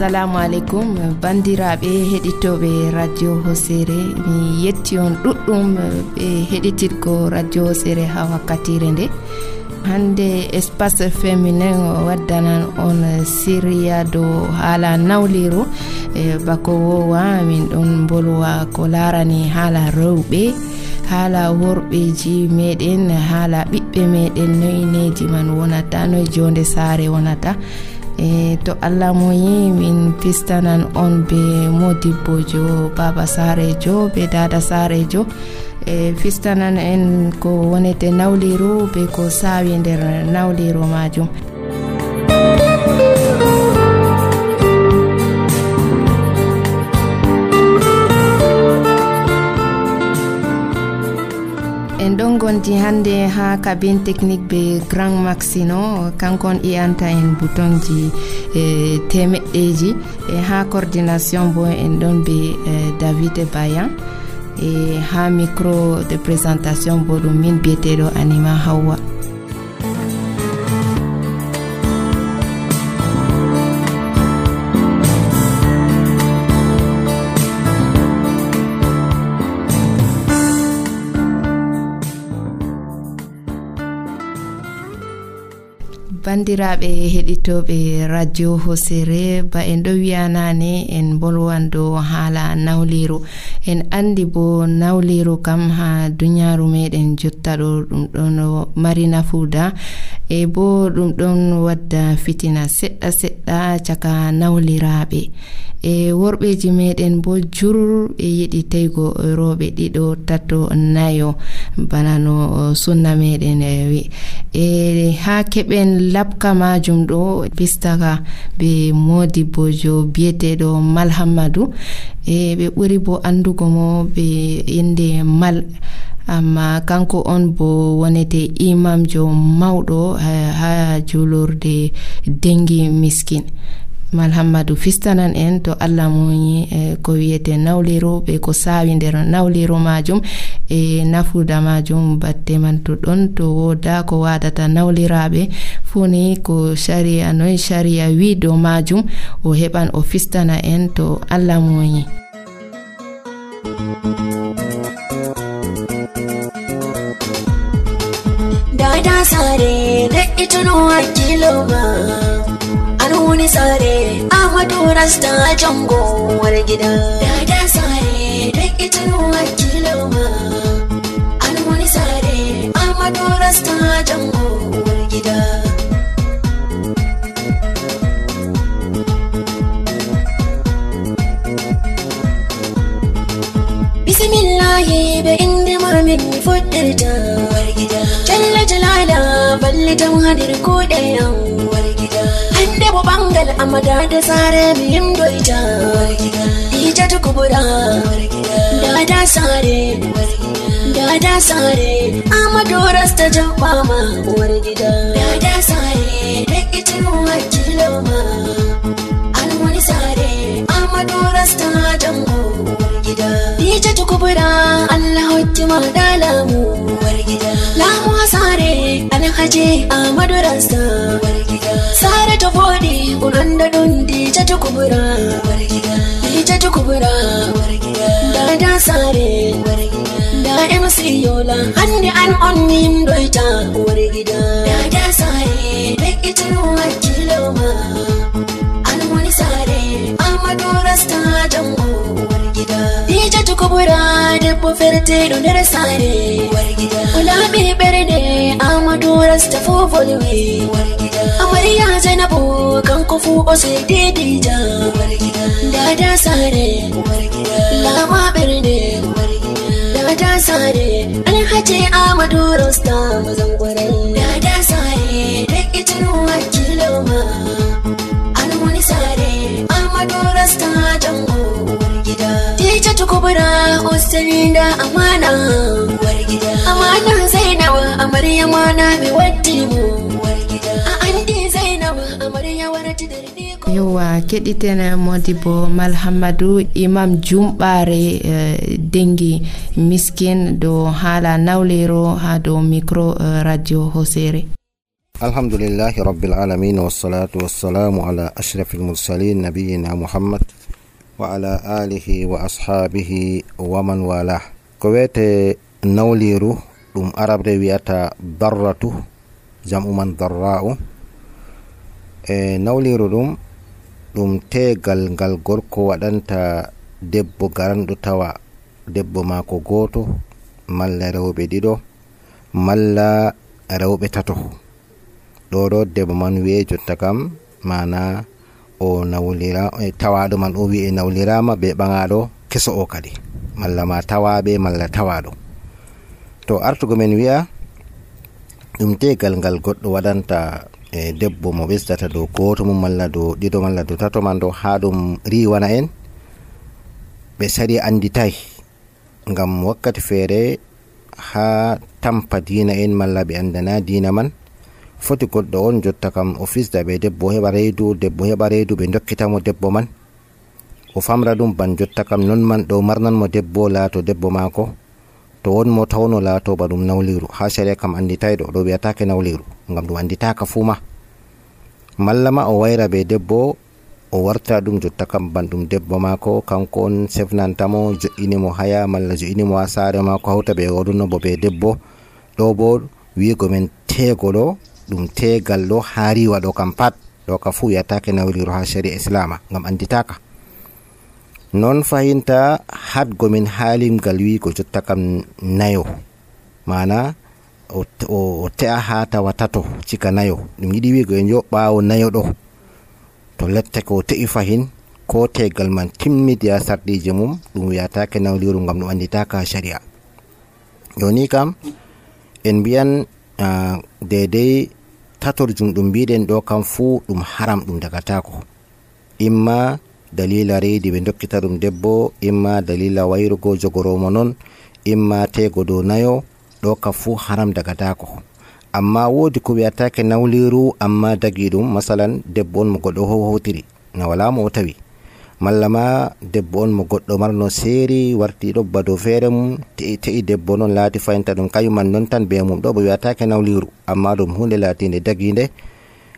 assalamu alaikum bandiraɓe heɗitoɓe radio Hosere. Mi yetti on ɗuɗɗum ɓe heɗitirgo radio Hosere ha wakkatire nde. Hande espace féminin waddanan on siriya do haala nawliru bako wowa min ɗon bolwa ko larani haala rewɓe, haala worɓeji meɗen, haala ɓiɓɓe meɗen, noyineji man wonata, noy jonde saare wonata. To Allah moyi min pistanan on be modibbojo baba sarejo be dada sarejo fistanan en ko wonete nawliru be ko sawi nder nawliru majum. En ɗon gondi hande ha cabine technique be Grand Maxino, kankon iyanta en boutonji temeɗɗeji, ha coordination bo en ɗon be David Bayan, ha micro de présentation bo ɗum min biyeteɗo Anima Hawwa. Bandiraɓe heɗitoɓe radio Hosere, ba en ɗo wiyanane en bolwando haala nawliru. En andi bo nawliru kam ha dunyaru meɗen jotta ɗo ɗum ɗon mari nafuda bo ɗum ɗon wadda fitina seɗɗa seɗɗa caka nawliraɓe. Worɓeji meɗen bo jurur ɓe yiɗi teygo rewɓe ɗiɗo tato nayo bana no sunna meɗen wi. Ha keɓen labka majum ɗo pistaka be modibbojo biyeteɗo Malhammadou, ɓe ɓuri bo andugo mo be inde Mal, amma kanko on bo wonete imamjo mawɗo ha julurde Dengi Miskin. Malhammadou fistanan en to Allah moyi ko wiyete nawliru be ko sawi nder nawliru majum nafuda majum batte man to ɗon to woda ko wadata nawliraɓe funi ko sharia noy sharia wi do majum o heɓan o fistana en to Allah moyi. Dada sare da ituno akiloma wani sare Ahmadu Rasta Jango war gida. Dada sare da ita nuwa kiloma. An wani sare Ahmadu Rasta Jango war gida. Bismillahi be inda marmin fudirta war gida. Jalla jalala balle ta hadir ko ɗayan war gida. Debo bangal amada da sare miyim doita wargida ita ta kubura wargida dada sare amadu rasta jabama wargida dada sare da ita nuwa kiloma an wani sare amadu rasta jango wargida ita ta kubura Allah hukuma dalamu wargida lamu sare alhaji amadu rasta wargida sare ta fodi unanda dundi ta kubura wargida ita ta kubura wargida dada sare wargida da MC Yola hande an on nim doita wargida dada sare da ita nuwa kiloma an wani sare amadu rasta jango wargida ita ta kubura debbo ferte do nder sare wargida ulabi berde amadu rasta fo volwe wargida amariya Zainabu kan kufu ose dedija wargida dada sare wargida lama berde wargida dada sare alhaji Ahmadu Rasta mazan kwarai dada sare da ita nuwa kiloma an wani sare Ahmadu Rasta jango wargida ita ta kubura usalinda amana wargida amana Zainabu amarya mana bi waddimu wargida andi Zainabu amarya warati dardi ko yowa keɗiten modibo Malhammadou imam jumɓare Dengi Miskin do haala nawlero ha do micro radio Hosere. Alhamdulillahi rabbil alamin, wassalatu wassalamu ala ashrafil mursalin, nabiyina Muhammad wa ala alihi wa ashabihi wa man wala. Ko wete nawliru ɗum arabre wiyata darratu, jam'u man darra'u. Nawliru ɗum tegal ngal gorko waɗanta debbo garanɗo tawa debbo maako goto, malla rewɓe ɗiɗo, malla rewɓe tato. ɗo debbo man wi'e jotta kam mana o nawlira, tawaɗo man o wi'e nawlirama be ɓagaɗo keso o kadi, malla ma tawaɓe malla tawaɗo. To artugo men wi'a ɗum tegal ngal goɗɗo waɗanta debbo mo ɓesdata dow goto mum, malla dow ɗiɗo, malla dow tato man ɗo, ha ɗum riwana en ɓe sari anditay, ngam wakkati feere ha tampa dina en malla ɓe andana dina man, foti goɗɗo on jotta kam o fisda ɓe debbo heɓa reedu, debbo heɓa reedu, ɓe dokkitamo debbo man, o famra ɗum ban jotta kam non man ɗo marnanmo debbo laato debbo maako. To wonmo tawno laato ba ɗum nawliru, ha sharia kam anditayɗo ɗo wiyatake nawliru, ngam ɗum anditaka fuu ma. Malla ma o wayra ɓe debbo, o warta ɗum jotta kam ban ɗum debbo maako, kanko on sefnantamo, jo'inimo haya malla jo'inimo ha saare maako, hawta ɓe waɗuno bo ɓe debbo. Ɗo bo wiigo men tegoɗo ɗum tegal ɗo ha riwa ɗo kam pat, ɗo ka fu wiyatake nawliru ha sharia islama, ngam anditaka. Non fahinta hadgo min halimgal wiigo jotta kam nayo, mana o te'a ha tawa tato cika nayo, ɗum yiɗi wiigo en yo ɓawo nayo ɗo to lettake o te'i fahin ko tegal man timmidi ha sardije mum, ɗum wiyatake nawliru, ngam ɗum anditaka ha sharia. Joni kam en mbiyan dedei tatorjum ɗum mbiɗen ɗo kam fuu ɗum haram, ɗum dagatako. Imma dalila reidi ɓe dokkita ɗum debbo, imma dalila wayrugo jogoromo non, imma tego dow nayo, ɗo kam fuu haram dagatako. Amma wodi ko wiyatake nawliru amma dagi ɗum, masalan debbo on mo goɗɗo howtiri na wala mo o tawi, malla ma debbo on mo goɗɗo marno seeri warti ɗo ba dow feere mum, te'i debbo non laati fayinta ɗum kayuman non tan be mum, ɗo bo wiyatake nawliru, amma ɗum hunde laatinde daginde,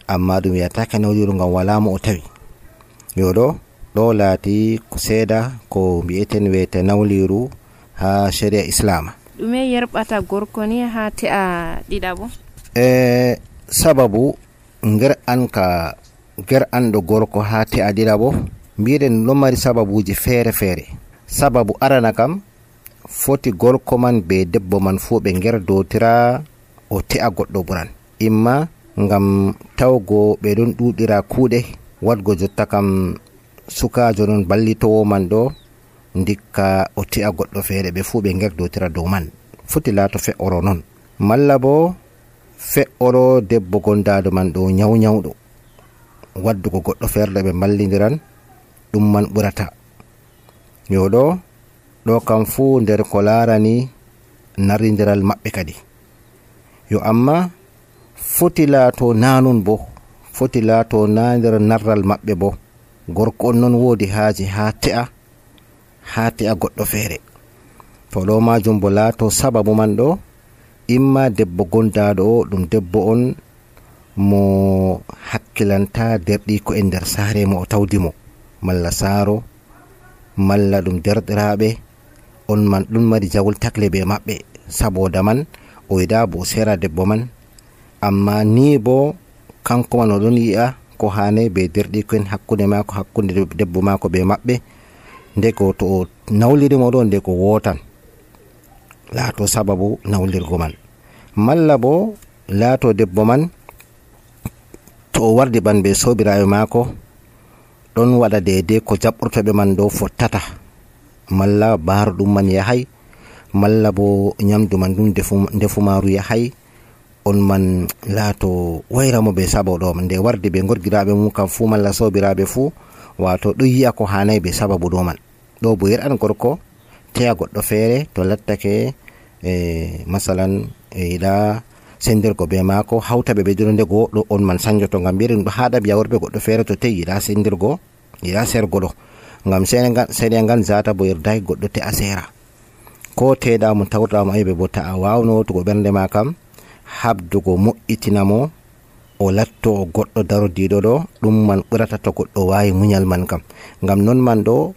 amma ɗum wiyatake nawliru ngam wala mo o tawi. Yoɗo ɗo laati ko seeda ko mbi'eten wiyete nawliru ha sharia islama. ɗume yerɓata gorko ni ha te'a ɗiɗaɓo? Sababu nger anɗo gorko ha te'a ɗiɗaɓo, mbiɗen ɗon mari sababuji feere feere. Sababu arana kam foti gorko man be debbo man fu ɓe ngerdotira o te'a goɗɗo ɓuran, imma ngam tawgo ɓe ɗon ɗuɗira kuuɗe, wadgo jotta kam sukajo non ballitowo man ɗo ndikka o te'a goɗɗo feere, ɓe fu ɓe ngerdotira dow man, foti laato fe'oro non. Malla bo fe'oro debbo gondaɗo man ɗo nyawnyawɗo, waddugo goɗɗo feere ɓe ballidiran, ɗum man ɓurata. Yoɗo ɗo kam fu nder ko larani naridiral maɓɓe kadi. Yo amma foti laato nanon bo, foti laato na nder narral maɓɓe bo, gorko on non wodi haaji ha te'a goɗɗo feere. To ɗo majum bo laato sababu man ɗo, imma debbo gondaɗo o ɗum debbo on mo hakkilanta derɗiko e nder saare mo o tawdimo, malla saaro, malla ɗum derɗiraɓe on man ɗum mari jawol takle be maɓɓe, saboda man o yiɗa bo sera debbo man. Amma ni bo kanko man oɗon yi'a ko hane be derɗiko en hakkunde mako, hakkunde debbo mako be maɓɓe, ndeko to o nawlirimo ɗo nde ko wotan laato sababu nawlirgo man. Malla bo laato debbo man to o wardi ban be sobiraɓe mako ɗon waɗa deidei ko jaɓɓortoɓe man ɗo fottata, malla baro ɗum man yahay, malla bo nyamdu man ɗum ndefumaru yahay, on man laato wayramo be sababu ɗo man, nde wardi be gorgiraɓe mum kam fu malla sobiraɓe fu, wato ɗo yi'a ko hanay be sababu ɗo man. Ɗo bo yer'an gorko te'a goɗɗo feere to lattake masalan yiɗa sendirgo be mako, hawtaɓe ɓe dino ndego ɗo on man sanjoto, ngam mbiɗen ɗo haɗa biya worɓe goɗɗo feere to te'i yiɗa sendirgo, yiɗa sergo ɗo, ngam seeɗa ngan zata bo yerdaki goɗɗo te'a sera, ko teɗa mo tawrɗamo ayɓe bo ta'a wawno to go ɓernde ma kam habdugo mo'itinamo o latto goɗɗo darodiɗo ɗo, ɗum man ɓurata to goɗɗo wawi muñal man kam. Ngam non man ɗo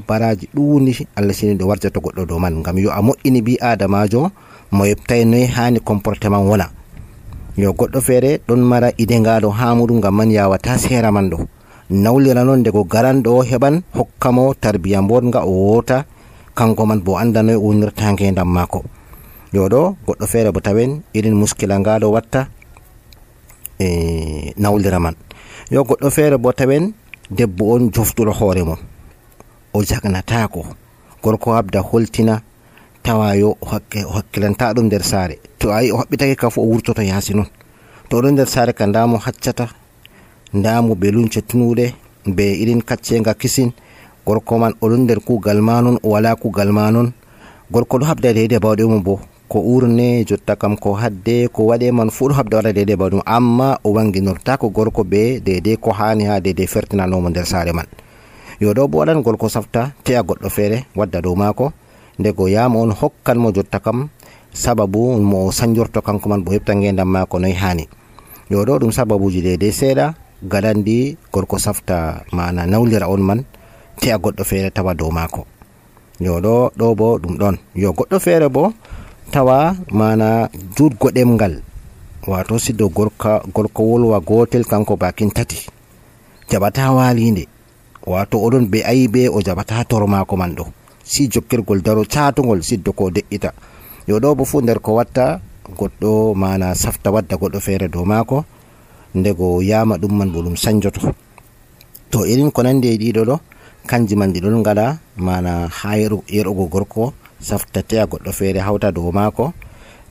baraji ɗuuni Allah sini ɗo warja to goɗɗo dow man. Ngam yo a moƴƴini bi adamajo mo yebtai noy hani comportement wona. Yo goɗɗo feere ɗon mara idengaɗo ha muɗum, ngam man yawata sera man ɗo nawlira non ndego garanɗo heɓan hokkamo tarbiya bodga o wota, kanko man bo anda noy wonirta ngendam mako. Yo ɗo goɗɗo feere bo tawen irin muskila ngaɗo watta nawlira man. Yo goɗɗo feere bo tawen debbo on joftuɗo hoore mum, o jagnatako, gorko habda holtina tawa yo o hakkilanta ɗum nder saare. To ayi o haɓɓitake ka fu o wurtoto yaasi non. To oɗon nder saare ka ndamo haccata, ndamo be lunce tunuɗe be irin kaccenga kisin, gorko man oɗon nder kugal ma non, o wala kugal ma non. Gorko ɗo habda deydey bawɗe mum bo, ko urne jotta kam ko hadde ko waɗe man fu ɗo habda waɗa deydey bawɗe mum, amma o wanginortako gorko be deydey ko hani ha deydey fertinanomo nder saare man. Yo ɗo bo waɗan gorko safta te'a goɗɗo feere wadda dow mako, ndego yama on hokkan mo jotta kam sababu mo sanjorto kanko man bo heɓta ngendam mako noy hani. Yo ɗo ɗum sababuji deydey seeɗa gadandi gorko safta mana nawlira on man te'a goɗɗo feere tawa dow mako. Yo ɗo bo ɗum ɗon. Yo goɗɗo feere bo tawa mana jutgo ɗemgal, wato siddo gorko wolwa gotel kanko bakin tati, jaɓata walinde, wato oɗon be ayibe o jaɓata toro mako man ɗo, si jokkirgol daro catugol siddo ko de'ita. Yo ɗo bo fu nder ko watta goɗɗo mana safta wadda goɗɗo feere dow mako, ndego yama ɗum man bo ɗum sanjoto. To irin ko nandi e ɗiɗo ɗo kanji man ɗi ɗon gaɗa mana ha yerugo gorko safta te'a goɗɗo feere hawta dow mako.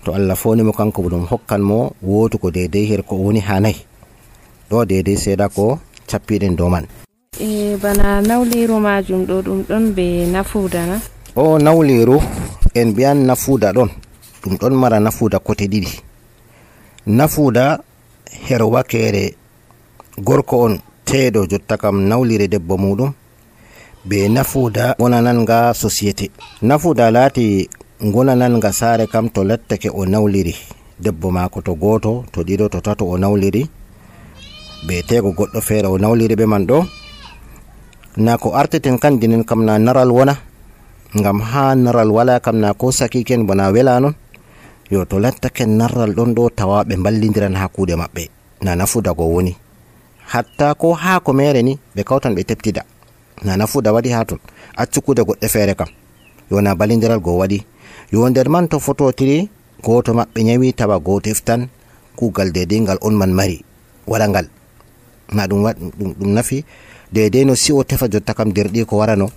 To Allah fonimo kanko bo ɗum hokkan mo wotugo deydey her ko woni ha nayi ɗo, deydey seeɗa ko cappiɗen dow man. Bana nawliru majum ɗo ɗum ɗon be nafuuda na? O nawliru en biyan nafuuda ɗon, ɗum ɗon mara nafuuda kote ɗiɗi. Nafuuda her wakere gorko on teeɗo jotta kam nawlire debbo muɗum, be nafuuda gonananga société. Nafuuda laati gonananga saare kam to lattake o nawliri debbo mako to goto, to ɗiɗo, to tato o nawliri, be tego goɗɗo feere o nawliri ɓe man ɗo, na ko arteten kan dinen kam na naral wona, ngam ha naral wala kam na ko sakiken bona wela non. Yo to lattaken naral ɗon ɗo tawa ɓe ballidiran ha kuuɗe maɓɓe, na nafuuda go woni. Hatta ko ha ko mere ni ɓe kawtan ɓe teptida, na nafuuda waɗi ha ton. Accu kuuɗe goɗɗe feere kam yo na balidiral go waɗi. Yo nder man to fototiri goto maɓɓe nyawi tawa goto eftan kuugal deydey ngal on man mari waɗa ngal, na ɗum nafi deydey no si o tefa jotta kam derɗi ko warano,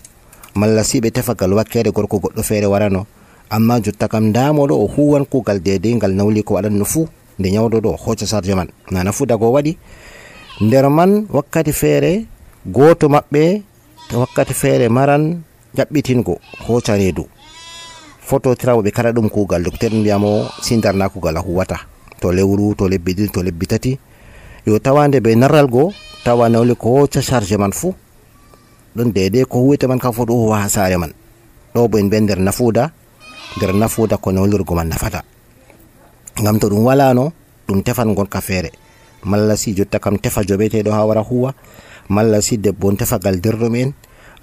malla si ɓe tefa gal wakkere gorko goɗɗo feere warano, amma jotta kam ndamoɗo o huwan kuugal deydey ngal nawli ko waɗanno fuu, nde nyawdoɗo o hocca sarje man, na nafuuda go waɗi. Nder man wakkati feere goto maɓɓe wakkati feere maran jaɓɓitingo hocca reedu fototirawo ɓe kada ɗum kuugal, docteur mbiyamo sindarna kuugal a huwata to lewru, to lebbi ɗiɗi, to lebbi tati. Yo tawande be narral go tawa nawli ko hocca charge man fuu ɗon deydey ko huwete man kam fo ɗo huwa ha saare man. Ɗo bo en be nder nafuuda ko nawlirgo man nafata, ngam to ɗum walano ɗum tefan gonka feere, malla si jotta kam tefa joɓeteɗo ha wara huwa, malla si debbo on tefa gal derɗum en,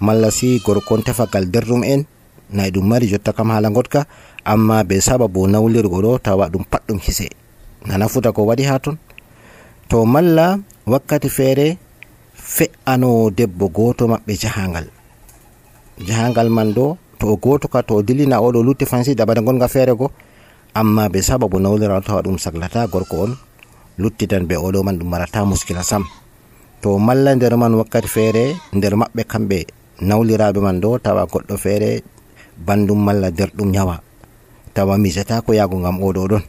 malla si gorko on tefa gal derɗum en, nayi ɗum mari jotta kam hala gotka, amma be sababu nawlirgo ɗo tawa ɗum pat ɗum hise, na nafuuda ko waɗi ha ton. To malla wakkati feere fe'ano debbo goto maɓɓe jahangal man ɗo, to o goto ka to o dilina oɗo lutti fansi dabare gonga feere go, amma be sababu nawlira tawa ɗum saglata gorko on luttitan be oɗo man, ɗum marata muskila sam. To malla nder man wakkati feere nder maɓɓe kamɓe nawliraɓe man ɗo tawa goɗɗo feere bandum malla derɗum nyawa, tawa mijata ko yago ngam oɗo ɗon,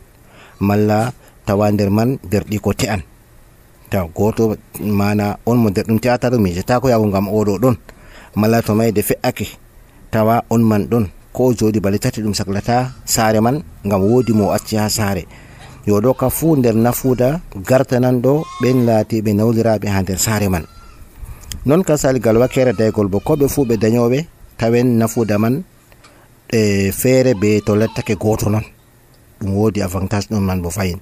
malla tawa nder man derɗi ko te'an, taw goto mana on mo derɗum te'ata ɗo mijata ko yago ngam oɗo ɗon, malla to mayde fe'ake tawa on man ɗon ko jodi bale tati ɗum saklata saare man ngam wodi mo acci ha saare. Yo ɗo ka fu nder nafuuda gartanan ɗo ɓen laatiɓe nawliraɓe ha nder saare man. Non ka saligal wakkere daygol bo ko ɓe fu ɓe dañoɓe tawen nafuuda man feere be to lattake goto non, ɗum wodi avantage ɗon man bo fayin.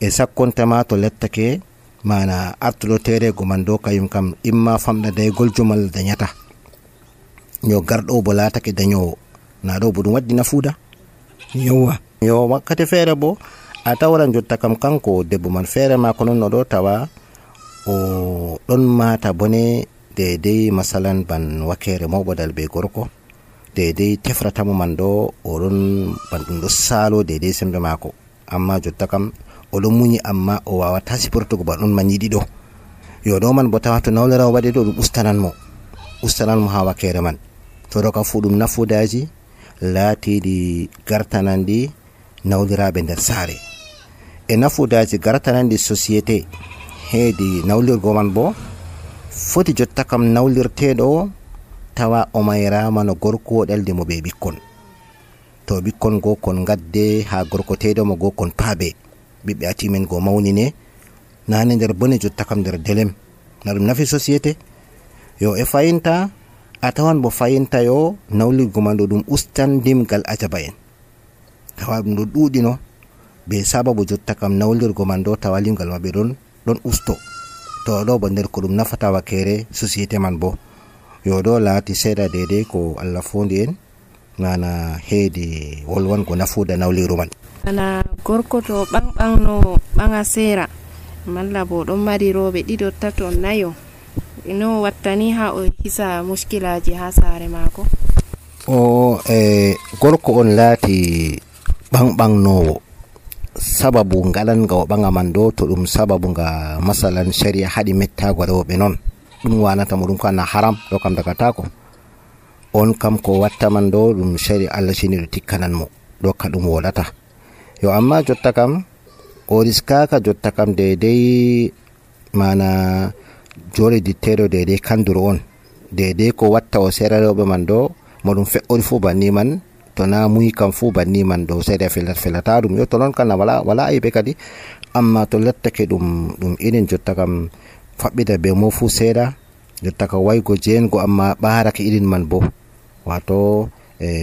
e sakkontama to lettake mana artuɗo terego man dow kayum kam imma famɗa daygol jumal dañata yo garɗo bo latake dañowo na ɗo bo ɗum waddi nafuuda yowa yo wakkati feere bo a tawran jotta kam kanko debbo man feere mako non no ɗo tawa o ɗon mata bone dedei masalan ban wakere mawɓodal be gorko dedei tefratamo man ɗo oɗon ban ɗum ɗo salo dedei sembe mako amma jotta kam oɗon muñi amma o wawata siportugo ba ɗon man yiɗi ɗo yo ɗo man bo tawa to nawlirawo waɗi ɗo ɗum ustananmo ha wakere man to ɗo kam fu ɗum nafudaji laatiɗi gartanandi nawliraɓe nder saare e nafudaji gartanandi société heedi nawlirgo man bo foti jotta kam nawlirteɗo tawa o mayrama no gorko ɗalde mo ɓe ɓikkon to ɓikkon go kon gadde ha gorko teɗomo go kon paabe ɓiɓɓe atimen go mawnine nane nder bone jotta kam nder delem na ɗum nafi société yo e fayinta a tawan bo fayinta yo nawlirgo man ɗo ɗum ustan dimgal ajaba en tawa ɗum ɗo ɗuɗino be sababu jotta kam nawlirgo man ɗo tawa limgal maɓɓe ɗon usto to ɗo bo nder ko ɗum nafata wakere société man bo yo ɗo laati seeɗa dedei ko Allah fondi en nana heedi wolwango nafuuda nawliru man ana gorko to ɓanɓanno ɓaŋa seera malla bo ɗon mari rooɓe ɗiɗo tato nayo no wattani ha o hisa muskilaji ha saare maako o gorko on laati ɓanɓannowo sababu ngaɗanga o ɓaŋa man ɗo to ɗum sababu nga masalan sharia haɗi mettago rewɓe noon ɗum wanata mo ɗum ko ana haram ɗo kam dagatako on kam ko watta man ɗo ɗum sharia Allah sini ɗo tikkanan mo ɗo ka ɗum woɗata yo amma jotta kam o riskaka jotta kam dedei mana jore ditteɗo dedei kanduro on dedei ko watta o sera rewɓe man ɗo mo ɗum fe'ori fu banni man to na muyi kam fu banni man ɗo seeɗa felata ɗum yo to noon kana wala aybe kadi amma to lettake ɗum irin jotta kam faɓɓida be mo fu seeɗa jotta ka waygo jeengo amma ɓarake irin man bo wato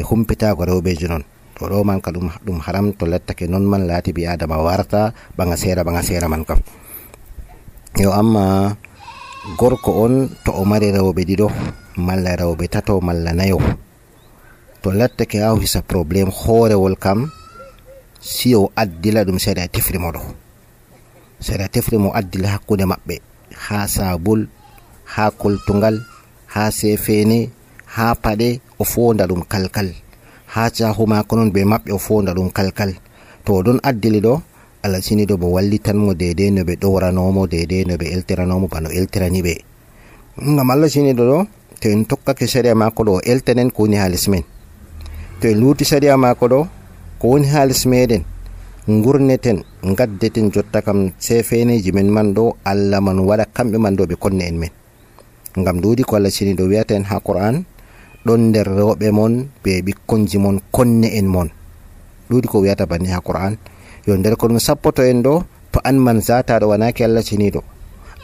humpitago rewɓeji noon to ɗo man ka ɗum haram to lettake non man laati bi adama warta ɓaŋa seera man kam yo amma gorko on to o mari rewɓe ɗiɗo malla rewɓe tato malla nayo to lettake a hisa probléme hoorewol kam si o addila ɗum seeɗa tefrimo ɗo seeɗa tefrimo addila hakkude maɓɓe ha sabul ha koltugal ha sefene ha paɗe o fonda ɗum kalkal ha cahu mako noon be maɓɓe o fonda ɗum kalkal to ɗon addili ɗo Allah sini ɗo bo wallitanmo dedei no ɓe ɗowranomo dedei no ɓe eltiranomo bano eltirani ɓe ngam Allah sini ɗo to en tokkake sharia mako ɗo o eltanen ko woni ha les men to en luuti sharia mako ɗo ko woni ha les meɗen gurneten gaddeten jotta kam sefeneji men man ɗo Allah man waɗa kamɓe man ɗo ɓe konne en men ngam duudi ko Allah sini ɗo wiyata en ha Qur'an ɗon nder rewɓe mon be ɓikkonji mon konne en mon ɗuuɗi ko wiyata banni ha Qur'an yo nder ko ɗum sappoto en ɗo to an man zataɗo wanaki Allah siniɗo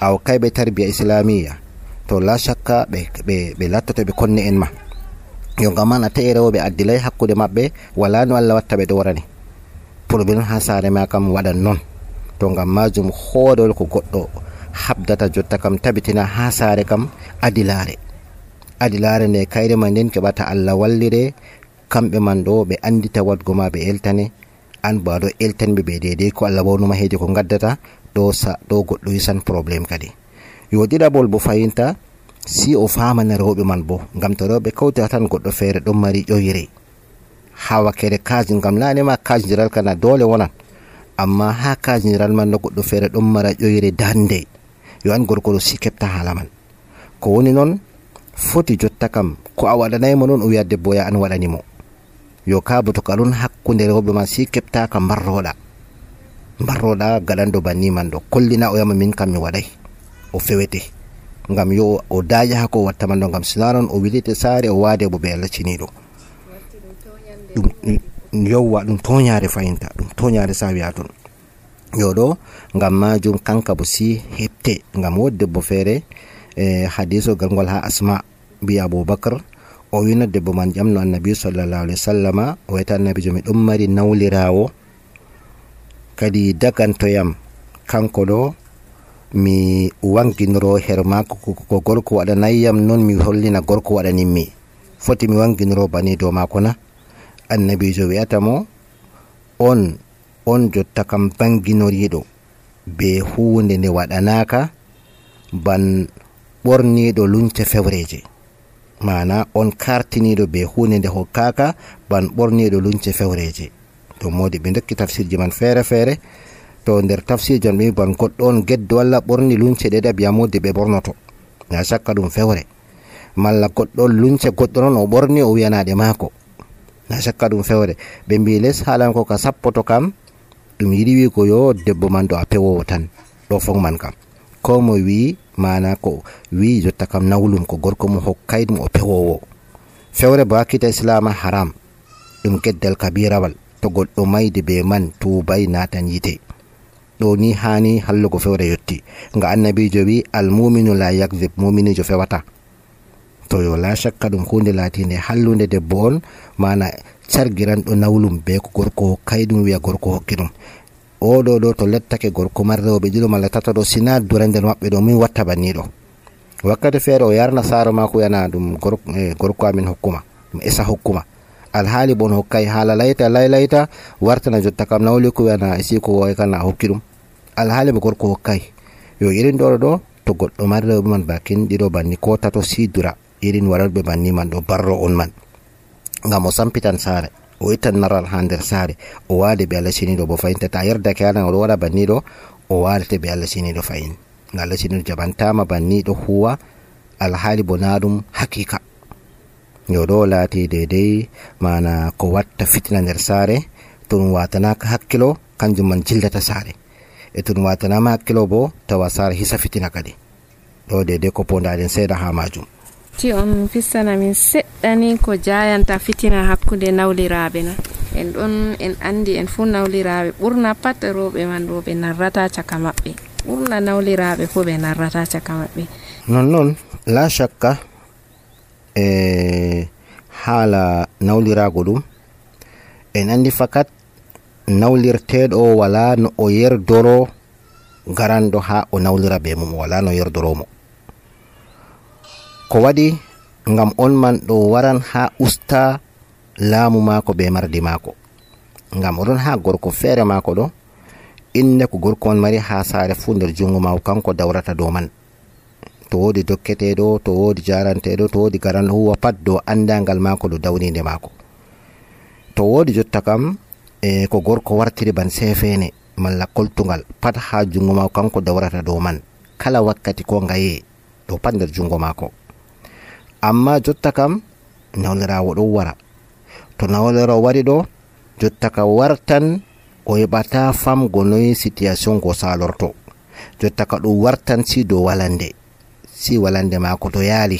aw kayɓe tarbiya islamiya to la shakka ɓe lattoto ɓe konne en ma yo ngam man a tawi rewɓe addilay hakkude maɓɓe wala no Allah watta ɓe ɗowrani probléme ha saare ma kam waɗan noon to ngam majum hoorewol ko goɗɗo habdata jotta kam tabitina ha saare kam adilare nde kayre ma nden keɓata Allah wallire kamɓe man ɗo ɓe andita wadgo ma ɓe eltane an bo aɗo eltanɓe ɓe dedei ko Allah wawnuma heedi ko gaddata ɗo goɗɗo yisan probléme kadi yo ɗiɗaɓol bo fayinta si o famana rewɓe man bo ngam to rewɓe kawtira tan goɗɗo feere ɗon mari ƴoyre ha wakkere kaji ngam nanema kajdiral kana dole wonan amma ha kajdiral man no goɗɗo feere ɗon mara ƴoyre dande yo an gorko ɗo si keɓta hala man ko woni noon foti jotta kam ko a waɗanaymo noon o wiya debbo ya an waɗanimo yo ka bo to ka ɗon hakkude rewɓe ma si keɓtaka mbarroɗa gaɗanɗo banni man ɗo kollina o yama min kam mi waɗay o fewete ngam yo o daƴa ha ko watta man ɗo ngam sina noon o wilite saare o waade bo ɓe Allah ciniɗo ɗum toñare fayinta ɗum toñare sa wiya toon yo ɗo ngam majum kanka bo si heɓte ngam wodi debbo feere hadiso galngol ha Asma bi Abubakar o wina debbo man ƴamno annabi sallallahu alaihi wasallama o wiyata annabijo mi ɗon mari nawlirawo kadi dagantoyam kanko ɗo mi wanginoro her mako ko gorko waɗanayyam non mi hollina gorko waɗaninmi. Foti mi wanginoro bani dow mako na? Annabijo wi'ata mo on jotta kam banginoriɗo be hunde nde waɗanaka ban ɓorniɗo lunce fewreje, mana on kartiniɗo be hunde nde hokkaka ban ɓorniɗo lunce fewreje. To modi ɓe dokki tafsirji man fere fere, to nder tafsirji on ɓe ban goɗɗo on geddo walla ɓorni lunce ɗe ɗabi'a modi ɓe ɓornoto, na shakka ɗum fewre. Malla goɗɗo lunce goɗɗo non o ɓorni o wiyanaɗe mako, na shakka ɗum fewre. Ɓe mbi les halan ko ka sappoto kam ɗum yiɗi wigo yo debbo man do a pewowo tan, ɗo fon man kam ko mo wi mana ko wi jotta kam nawlum ko gorko mo hokkay ɗum o pewowo. Fewre bo hakkita islam haram, ɗum geddal kabirawal. To goɗɗo maydi be man tubay natan yite, ɗo ni hani hallugo fewre yotti. Nga annabijo wi almuminu la yakzib, muminijo fewata. To yo la shakka ɗum hunde latinde hallunde debbo on, mana cargiran ɗo nawlum be ko gorko hokkay ɗum wiya gorko hokki ɗum. Ɗo to lettake gorko marrewɓe ɗiɗo malla tata ɗo sina dura nder maɓɓe ɗo min watta banniɗo. Wakkati feere o yarna saaro mako yana ɗum gorko amin hokkuma, ɗum esa hokkuma, alhaali bon hokkay, haala layta wartana jotta kam nawli ko wiyana siko way kana hokki ɗum, alhaali mo gorko hokkay. Yo irin ɗo to goɗɗo marrewɓe man bakin ɗiɗo banni ko tato sidura irin waralɓe banni man ɗo barro on man, ngam o sampitan saare, o ittan naral ha nder saare, o waade be Allah siniɗo bo fayin. Tata yerdake halan oɗo waɗa banniɗo, o wadete be Allah siniɗo fayin, nga Allah siniɗo jabantama banniɗo huwa alhaali bo na ɗum hakika. Yo ɗo laati dedei mana ko watta fitina nder saare. To ɗum watanaka hakkilo kanjum man jildata saare, e to ɗum watanama hakkilo bo tawa saare hisa fitina kadi. Ɗo dedei ko pondaɗen seeɗa ha majum. Ti on fissana min seɗɗani ko jayanta fitina hakkude nawliraɓe na? En ɗon en andi en fu nawliraɓe ɓurna pat rewɓe man ɗo ɓe narrata caka maɓɓe, ɓurna nawliraɓe fu ɓe narrata caka maɓɓe. Non la shakka haala nawlirago ɗum en andi fakat nawlirteɗo wala no o yerdoro garanɗo ha o nawlira be mum, wala no yerdoromo. Ko waɗi ngam on man ɗo waran ha usta laamu mako be mardi mako, ngam oɗon ha gorko feere mako ɗo, inde ko gorko man mari ha saare fu nder jungo mako kanko dawrata dow man. To wodi dokketeɗo, to wodi jaranteɗo, to wodi garanɗo huwa pat dow andangal mako ɗo dawninde mako. To wodi jotta kam ko gorko wartiri ban sefene malla koltugal pat ha jungo mako kanko dawrata dow man, kala wakkati ko ngaye ɗo pat nder jungo mako. Amma jotta kam nawlirawo ɗo wara, to nawlirawo wari ɗo jotta ka wartan o heɓata famgo noyi situation go salorto, jotta ka ɗum wartan si dow walande, si walande mako to yaali.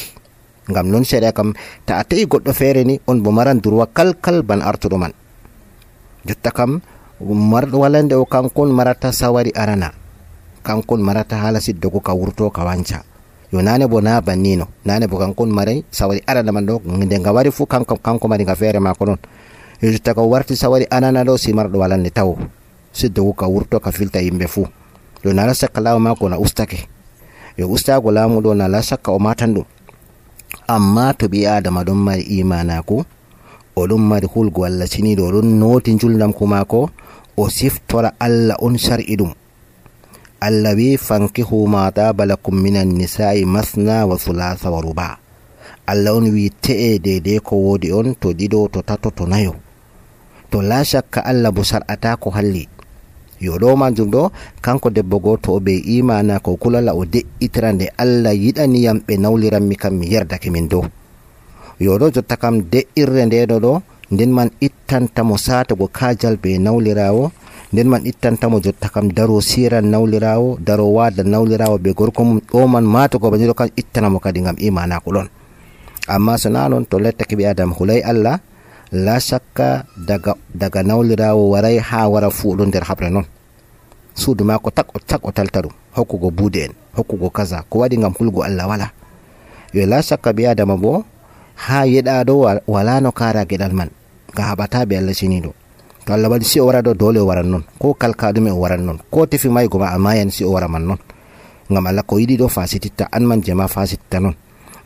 Ngam non seeɗa kam ta a tawi goɗɗo feere ni on bo maran durwa kalkal ban artuɗo man. Jotta kam marɗo walande o kankon marata sawari arana, kankon marata haala siddogo ka wurto ka wanca. Yo nane bo na bannino, nane bo kankon maray sawari arana man ɗo, nde nga wari fu kanko mari nga feere mako non. Yo jotta ka warti sawari anana ɗo si marɗo walande tawo siddogo ka wurto ka filta yimɓe fu. Yo nala sakka laamu mako na ustake, yo ustago laamu ɗo nala sakka o matan ɗum. Amma to ɓi adama ɗon mari imanaku, oɗon mari hulgo Allah siniɗo, oɗon noti julnamku mako, o siftora Allah on shar'i ɗum. Allah wi fankihu ma taba lakum minan nisa'i masna wa thulatha wa ruba. Allah on wi te'e dede ko wodi on, to ɗiɗo, to tato, to nayo. To la shakka Allah bo sar'ata ko halli. Yo ɗo majum ɗo kanko debbo goto o be imana ko kulala o de'itira nde Allah yiɗaniyam ɓe nawliranmi kam mi yerdake min dow. Yo ɗo jotta kam de'irre ndeɗo ɗo nden man ittantamo satago kajal be nawlirawo, nden man ittantamo jotta kam daro siran nawlirawo, daro wada nawlirawo be gorko mum, ɗo man matago baniro kan ittanamo kadi ngam imana ko ɗon. Amma so na non to lettake ɓi adam hulay Allah, la shakka daga nawlirawo waray ha wara fu ɗon nder habre non. Suudu mako tak o talta ɗum, hokkugo buude en, hokkugo kaza, ko waɗi ngam hulgo Allah wala. Yo la shakka ɓi adama bo ha yeɗaɗo wala no kara geɗal man, nga haɓata be Allah siniɗo. To to Allah waɗi si o wara ɗo dole o waran non, ko kalka ɗume o waran non, ko tefi maygo ma amma yan si o wara man non, ngam Allah ko yiɗi ɗo fasititta an man jema fasititta non.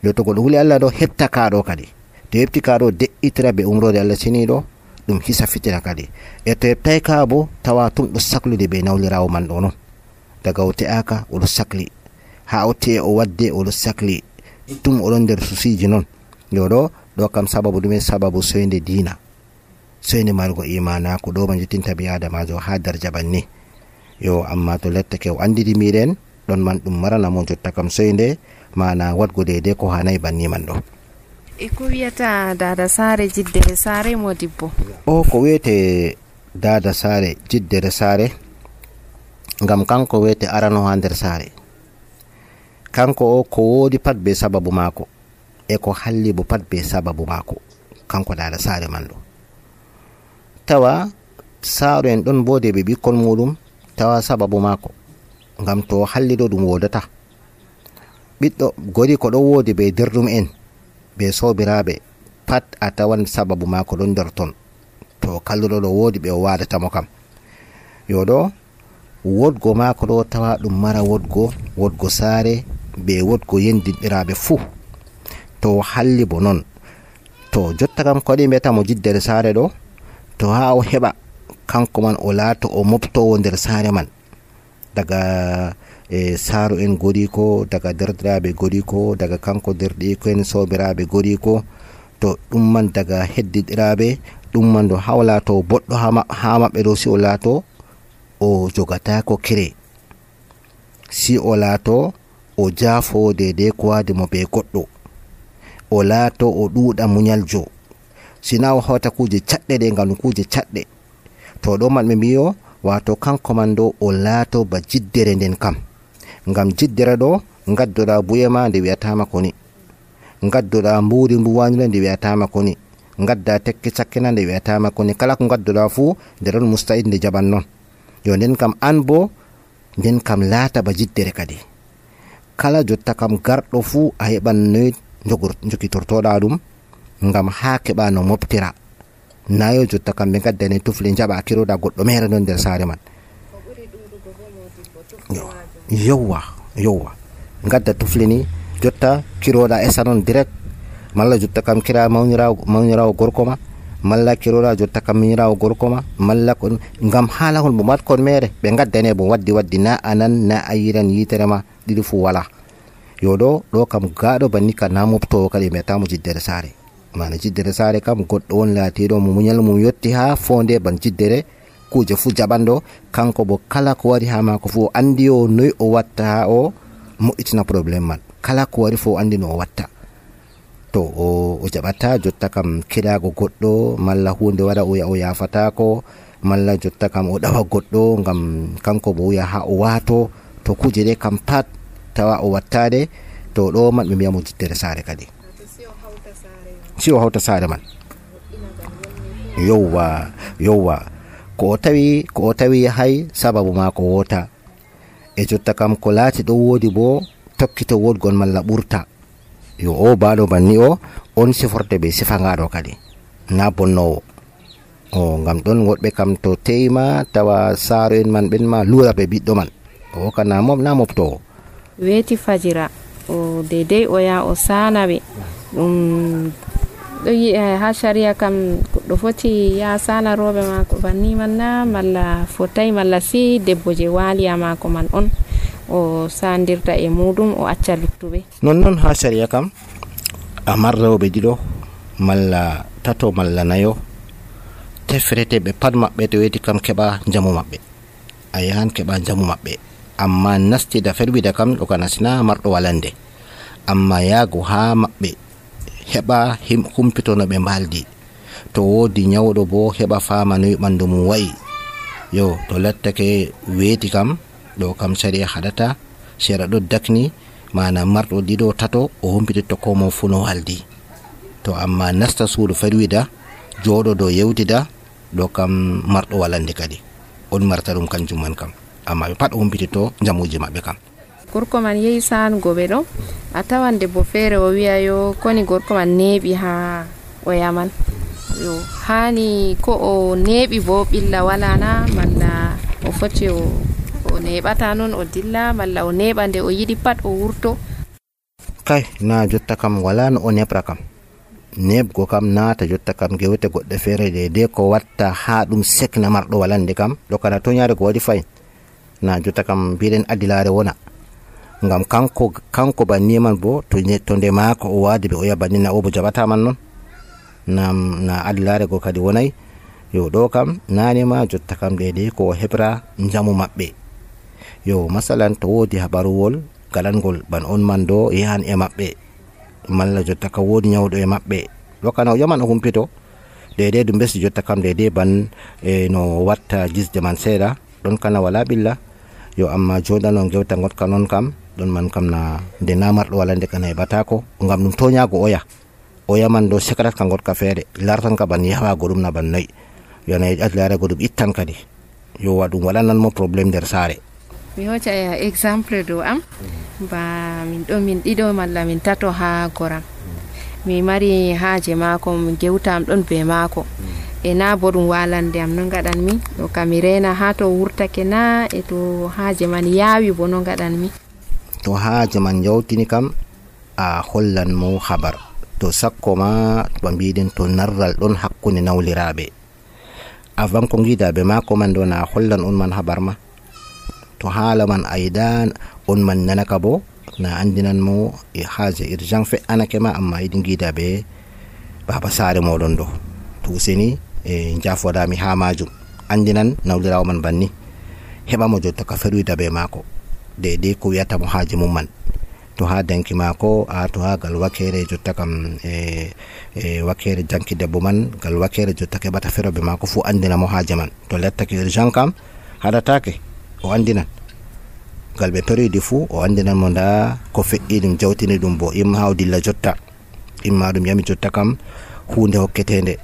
yo to goɗɗo huli Allah ɗo hepta kaɗo kadi, to hepti kaɗo de'itira be umrode Allah seniɗo ɗum hisa fitira kadi. E to heptai ka bo tawa tum ɗo saklude be nawlirawo man ɗo non, daga o te'aka oɗo sakli, ha o te'e o wadde oɗo sakli, tum oɗon nder susiji non. yo ɗo kam sababu ɗume, sababu soyde dina, soyde margo imanako ɗo ma juttinta bi adamajo ha darja banni. yo amma to lettake o andidi miɗen ɗon man ɗum marana mo jotta kam soyde mana wadgo dede ko hanayi banni man ɗo. e ko wiyata dada sare jiddere sare mo dibbo? o ko wiyete dada sare jiddere sare, ngam kanko wiyete arano ha nder sare, kanko o ko wodi pat be sababu mako, e ko halli bo pat be sababu mako, kanko dada sare man ɗo. tawa saaro en ɗon bode be ɓikkon muɗum, tawa sababu mako, ngam to halli ɗo ɗum wodata. ɓiɗɗo gori ko ɗon wodi be derɗum en be sobiraɓe pat a tawan sababu mako ɗon nder ton, to kalluɗo ɗo wodi ɓe o wadatamo kam. yo ɗo wodgo mako ɗo tawa ɗum mara wodgo sare be wodgo yendinɗiraɓe fuu, to halli bo non. to jotta kam ko waɗi mbiyata mo jiddere sare ɗo, to ha o heɓa kanko man o laato o moftowo nder sare man, daga saaro en godi ko, daga derdiraɓe godi ko, daga kanko derɗiko en sobiraɓe godi ko, to ɗum man daga heddiɗiraɓe ɗum man ɗo ha o laato boɗɗo ha maɓɓe ɗo, si o laato o jogatako kire, si o laato o jaafo dede ko wadi mo be goɗɗo, o laato o ɗuuɗa munyaljo, sina o hawta kuje caɗɗe ɗe ngam kuje caɗɗe. to ɗo man ɓe mbiyo wato kanko man ɗo o laato ba jiddere nden kam, ngam jiddere ɗo gaddoɗa buye ma nde wiyatama koni, gaddoɗa mburi mbuwanire nde wiyatama koni, gadda tekke cakkena nde wiyatama koni, kala ko gaddoɗa fuu nde ɗon musta'id nde jaɓan non. yo nden kam an bo nden kam laata ba jiddere kadi, kala jotta kam garɗo fuu a heɓan noy jokitortoɗa ɗum, ngam ha keɓa no moftira, nayo jotta kam ɓe gaddane tufle jaɓa kiroɗa goɗɗo mere non nder sare man. yowwa gadda tufle ni jotta kiroɗa esa non direct, malla jotta kam kira mawnirawo gorko ma, malla kiroɗa jotta kam miñirawo gorko ma, malla kon ngam hala hon bo mat kon mere ɓe gaddane bo waddi na anan na ayiran yitere ma ɗiɗi fu wala. yo ɗo kam gaɗo banni ka na moftowo kadi mbiyatamo jiddere sare, mana jiddere sare kam goɗɗo won laatiɗo mo muñal mum yotti ha fonde ban jiddere kuje fu jaɓanɗo, kanko bo kala ko wari ha mako fu o andi o noy o watta ha o moƴƴitina probléme man, kala ko wari fu o andi no o watta. to o jaɓata jotta kam kirago goɗɗo, malla hunde waɗa o yafatako, malla jotta kam o ɗawa goɗɗo ngam kanko bo wiya ha o wato, to kuje ɗe kam pat tawa o wattade. to ɗo man ɓe mbiyamo jiddere sare kadi, si o hawta sare man. yowwa ko o tawi hay sababu ma ko wota, e jotta kam ko laati ɗo wodi bo tokkito wodgon malla ɓurta. yo o baɗo banni o on siforte be sifangaɗo kadi na bonnowo o, ngam ɗon woɗɓe kam to teyma tawa saaro en man ɓen ma lura ɓe ɓiɗɗo man, o kana mom na moftowo. weeti fajira o dedei o ya o sanaɓe ɗum ɗo ha sharia kam goɗɗo foti ya sana roɓe mako banni man na, malla fotai, malla si debbo je waliya mako man on o sandirta e muɗum o acca luttuɓe. non ha sharia kam a marrewɓe ɗiɗo malla tato malla nayo tefreteɓe pat maɓɓe to weti kam keɓa jamu maɓɓe, a yahan keɓa jamu maɓɓe, amma nastida ferwida kam ɗo kana sina marɗo walande, amma yaago ha maɓɓe heɓa humpito no ɓe mbaldi, to wodi nyawɗo bo heɓa fama noy ɓandu mum wayi. yo to lattake weeti kam ɗo kam sharia haɗata, sera ɗo dakni mana marɗo ɗiɗo tato o humpititto ko mo fu no waldi. to amma nasta suudu ferwida jooɗo dow yewtida ɗo kam marɗo walande kadi on marta ɗum kanjum man kam, amma ɓe pat o humpititto jamuji maɓɓe kam. gorko man yehi sanugo ɓe ɗo, a tawan debbo feere o wiya yo koni gorko man neeɓi ha o yaman, yo hani ko o neeɓi bo ɓilla wala na malla o foti o neeɓata noon o dilla malla o neeɓa nde o yiɗi pat o wurto. Kay na jotta kam wala no o neɓra kam, neɓgo kam naata jotta kam gewte goɗɗe feere de ko watta ha ɗum sekna marɗo walande kam ɗo kana to nyaare ko waɗi fayin na jotta kam mbiɗen adilare wona ngam kanko banni man bo to nde maako o wadi ɓe o yaha banni na o bo jaɓata man noon na adilare go kadi wonay. Yo ɗo kam nane ma jotta kam de ko heɓra njamu maɓɓe. Yo masalan to wodi habaruwol galangol ban on man do yahan e maɓɓe malla jotta ka wodi nyawɗo e maɓɓe ɗo kana o yaman o humpito de ɗum besi jotta kam de ban no watta gisde man seeɗa ɗon kana wala ɓilla. Yo amma joɗano gewta gotka non kam ɗon man kam na nde namarɗo walande kana heɓatako ngam ɗum toñago oya man do sekarat ka gotka feere lartan ka ban yahago ɗum na ban nayi yana adilare go ɗum ittan kadi yo waɗum walanan mo probléme nder saare. Mi hoca exemple do am ba min ɗo min ɗiɗo malla min tato ha goram mi mari haaje maako mi gewtam ɗon be maako e na bo ɗum walande am no gaɗanmi ɗo kam mi rena ha to wurtake na e to haaje man yaawi bo no gaɗanmi. To haaje man yawtini kam a hollan mo habar to sakko ma to mbiɗen to narral ɗon hakkunde nawliraɓe avant ko gidaɓe maako man ɗo na hollan on man habar ma to haala man aydan on man nanaka bo na andinan mo e haaje urgent fe'anake ma amma yiɗi gidaɓe baba saare moɗon ɗo to useni e jafodami ha majum andinan nawlirawo man banni heɓa mo jotta ka ferwida be maako de ko wiyata mo haaje mum man to ha danki maako to ha gal wakere jotta kam wakere janki debbo man gal wakere jotta keɓata feroɓe maako fu andina mo haaje man to lettake urgent kam haɗatake o andinan gal ɓe peridi fu o andinan mo nda ko fe'i ɗum jawtini ɗum bo imma ha o dilla jotta imma ɗum yami jotta kam hunde hokketende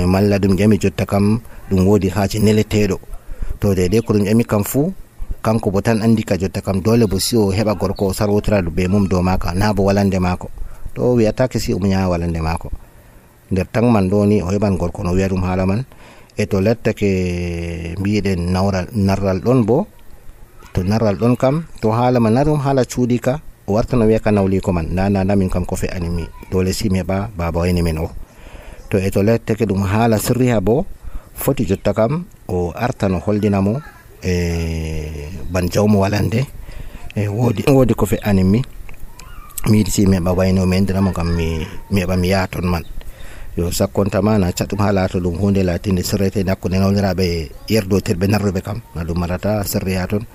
malla ɗum yami jotta kam ɗum wodi haaje neleteɗo to de ko ɗum yami kam fu kanko bo tan andi ka jotta kam dole bo si o heɓa gorko o sarwotira be mum dow maka na bo walande maako to wiyatake si o muña walande maako nder tan man ɗo ni o heɓan gorko no wiya ɗum haala man e to lettake mbiɗen narral ɗon bo to narral ɗon kam to haala ma narum haala cuuɗi ka o warta no wiya ka nawliko man na min kam ko fe'ani mi dole si mi heɓa baba wayni min o to e to lettake ɗum haala sirri ha bo foti jotta kam o arta no holdina mo ban jawmo walande wodi ko fe'ani mi yiɗi si mi heɓa wayno mi endiramo kam mi heɓa mi yaha ton man. Yo sakkontama na caɗum ha laato ɗum hunde latinde sirrete nakkude nawliraɓe yerdotirɓe narruɓe kam na ɗum marata sirri ha ton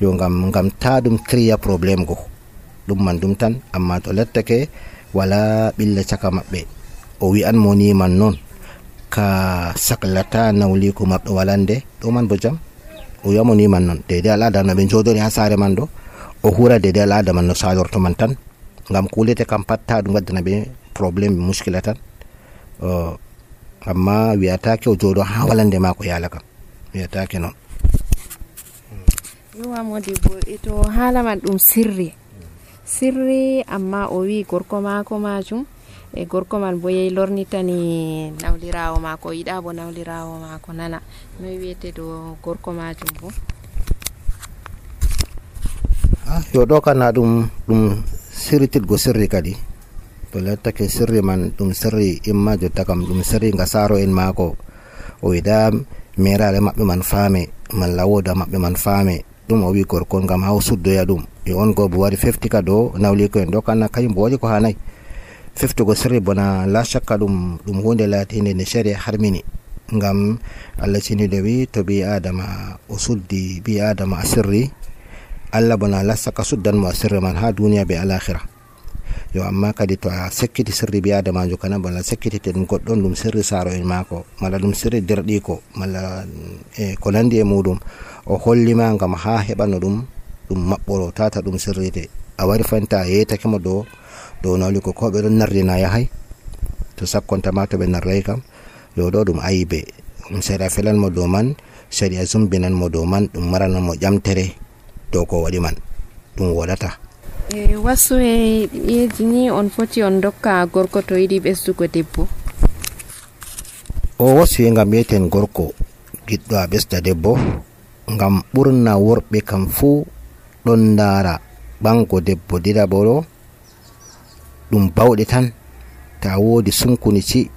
yo ngam ta ɗum créa probléme go ɗum man ɗum tan amma to lettake wala ɓilla caka maɓɓe o wi'an mo ni man noon ka saklata nawliko maɓɓe walande ɗo man bo jam o wiyamo ni man noon dede al'ada no ɓe jodori ha saare man ɗo o hura dede al'ada man no salorto man tan ngam kulete kam patta ɗum waddana ɓe probléme muskila tan amma wiyatake o jooɗo ha walande mako yaala kam wiyatake noon. Yowa modibo to haala man ɗum sirri amma o wi gorko mako majum e gorko man bo yehi lornitani nawlirawo mako o yiɗa bo nawlirawo mako nana no wiyete do gorko majum bo. Yo ɗo kana ɗum sirritirgo sirri kadi to lettake sirri man ɗum sirri imma jotta kam ɗum sirri nga saro en maako o yiɗa merare maɓɓe man faame malla woda maɓɓe man faame ɗum o wi gorko ngam ha o suddoya ɗum yo on go bo wari fefti ka do nawliko en ɗo kana kañum bo waɗi ko hanayi feftugo sirri bona la shakka ɗum hunde latinde nde sharia harmini ngam Allah ceniɗo wi to bi adama o suddi bi adama a sirri Allah bona la shakka suddanmo a sirri man ha duniya be alakhira yo amma kadi to a sekkiti sirri bi adamajo kana bala sekkitite ɗum goɗɗon ɗum sirri saro en maako malla ɗum sirri derɗiko malla ko nandi e muɗum o hollima ngam ha heɓano ɗum maɓɓoro tata ɗum sirrite a wari fanta a yeytake mo dow nawliko ko ɓe ɗon nardina yahay to sakkontama to ɓe narray kam yo ɗo ɗum ayibe ɗum seeɗa felan mo dow man seeɗa zumbinan mo dow man ɗum marana mo ƴamtere dow ko waɗi man ɗum woɗata. Wasu e ƴeeji ni on foti on dokka gorko to yiɗi ɓesdugo debbo. o wasi ngam yeten gorko giɗɗo a ɓesda debbo, ngam ɓurna worɓe kam fuu ɗon ndaara ɓango debbo ɗiɗaɓo ɗo ɗum bawɗe tan. ta woodi sunkunici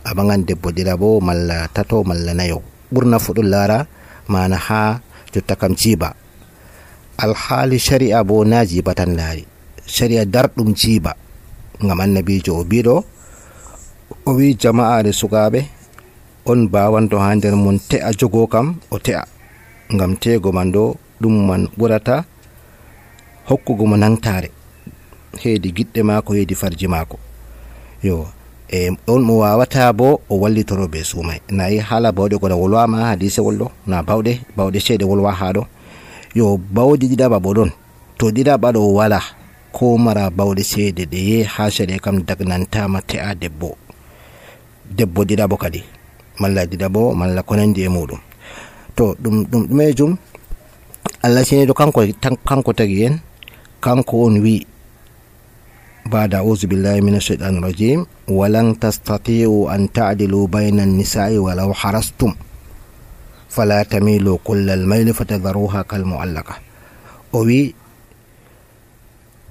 a ɓaŋan debbo ɗiɗaɓo malla tato malla nayo, ɓurna fu ɗum laara mana ha jotta kam jiiba. alhaali shari'a bo na jiiba tan laari, shari'a darɗum jiiba, ngam annabijo o biɗo o wi jama'are sukaɓe on bawanto ha nder mon te'a jogo kam o te'a, ngam teego man ɗo ɗum man ɓurata hokkugo mo nangtare heedi giɗɗe maako heedi farji maako. yo on mo wawata bo o wallitoro be suumay, nayi hala bawɗe ko wolwama hadise wolɗo na bawɗe ceede wolwa ha ɗo. yo bawɗe ɗiɗaɓa bo ɗon, to ɗiɗaɓa ɗo wala ko mara bawɗe ceede ɗe ye ha shari'a kam dagnantama te'a debbo ɗiɗaɓo kadi malla ɗiɗaɓo malla ko nandi e muɗum. to ɗum ɗumejum Allah siniɗo kanko tagi en, kanko on wi ba'da a'udhu billahi minash shaitanir rajim walan tastati'u an ta'dilu bayna an-nisa'i walau harastum fala tamilu kullal mayli fatadharuha kal mu'allaqa. o wi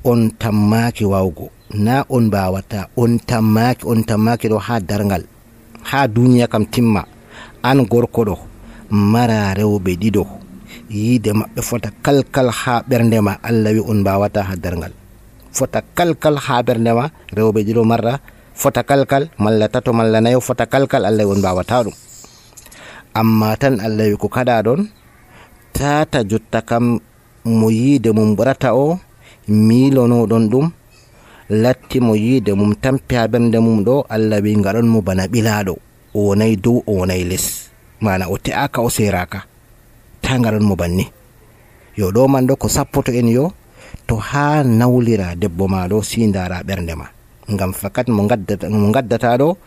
on tammaki wawgo, na on bawata, on tammaki ɗo ha dargal, ha duniya kam timma. an gorko ɗo mara rewɓe ɗiɗo, yiide maɓɓe fota kalkal ha ɓerdema. Allah wi on bawata ha dargal, fota kalkal ha ɓerdema. rewɓe ɗiɗo marra fota kalkal, malla tato malla nayo fota kalkal. Allah wi on bawata ɗum. amma tan Allah wi ko kaɗa ɗon tata jotta kam mo yiide mum ɓurata o miilono ɗon ɗum latti mo yiide mum tampi ha ɓernde mum ɗo. Allah wi ngaɗon mo bana ɓilaɗo, o wonay dow o wonay les, mana o te'aka o seraka, ta ngaɗon mo banni. yo ɗo man ɗo ko sappoto en yo to ha nawlira debbo ma ɗo sindara ɓernde ma, ngam fakat mo gaddata ɗo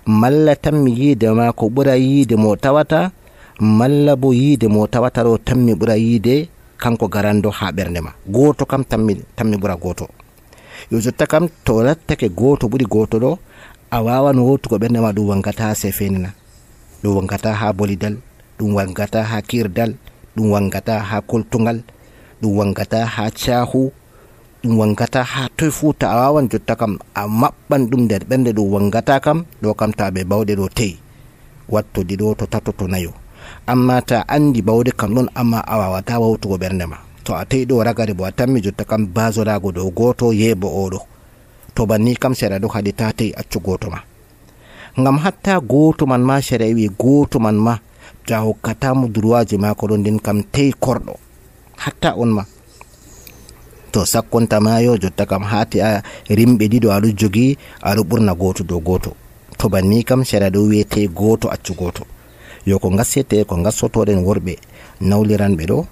malla tammi yiide ma ko ɓura yiide mo tawata, malla bo yiide mo tawata ɗo tammi ɓura yiide kanko garando ha ɓernde ma. goto kam tammi ɓura goto. yo jotta kam to lattake goto ɓuri goto ɗo, a wawan wotugo ɓernde ma ɗum wangata ha sefenina, ɗum wangata ha bolidal, ɗum wangata ha kirdal, ɗum wangata ha koltugal, ɗum wangata ha cahu, ɗum wangata ha toy futa. a wawan jotta kam a maɓɓan ɗum nder ɓernde ɗum wangata kam ɗo kam ta ɓe bawɗe ɗo teyi watto ɗiɗo to tato to nayo. amma ta andi bawɗe kam ɗon amma a wawata wawtugo ɓernde ma. to a teyi ɗo ragare bo a tammi jotta kam basorago dow goto yeebo oɗo, to banni kam seeɗa ɗo haɗi ta teyi accu goto ma. ngam hatta goto man ma shari'a wi goto man ma ta hokkatamo droitji mako ɗon nden kam teyi korɗo hatta on ma. to sakkonta mayo jotta kam hati a rimɓe ɗiɗo aɗo jogi aɗo ɓurna goto dow goto, to banni kam shari'a ɗo wiyete goto accu goto. yo ko gassete ko gassotoɗen worɓe nawliranɓe ɗo,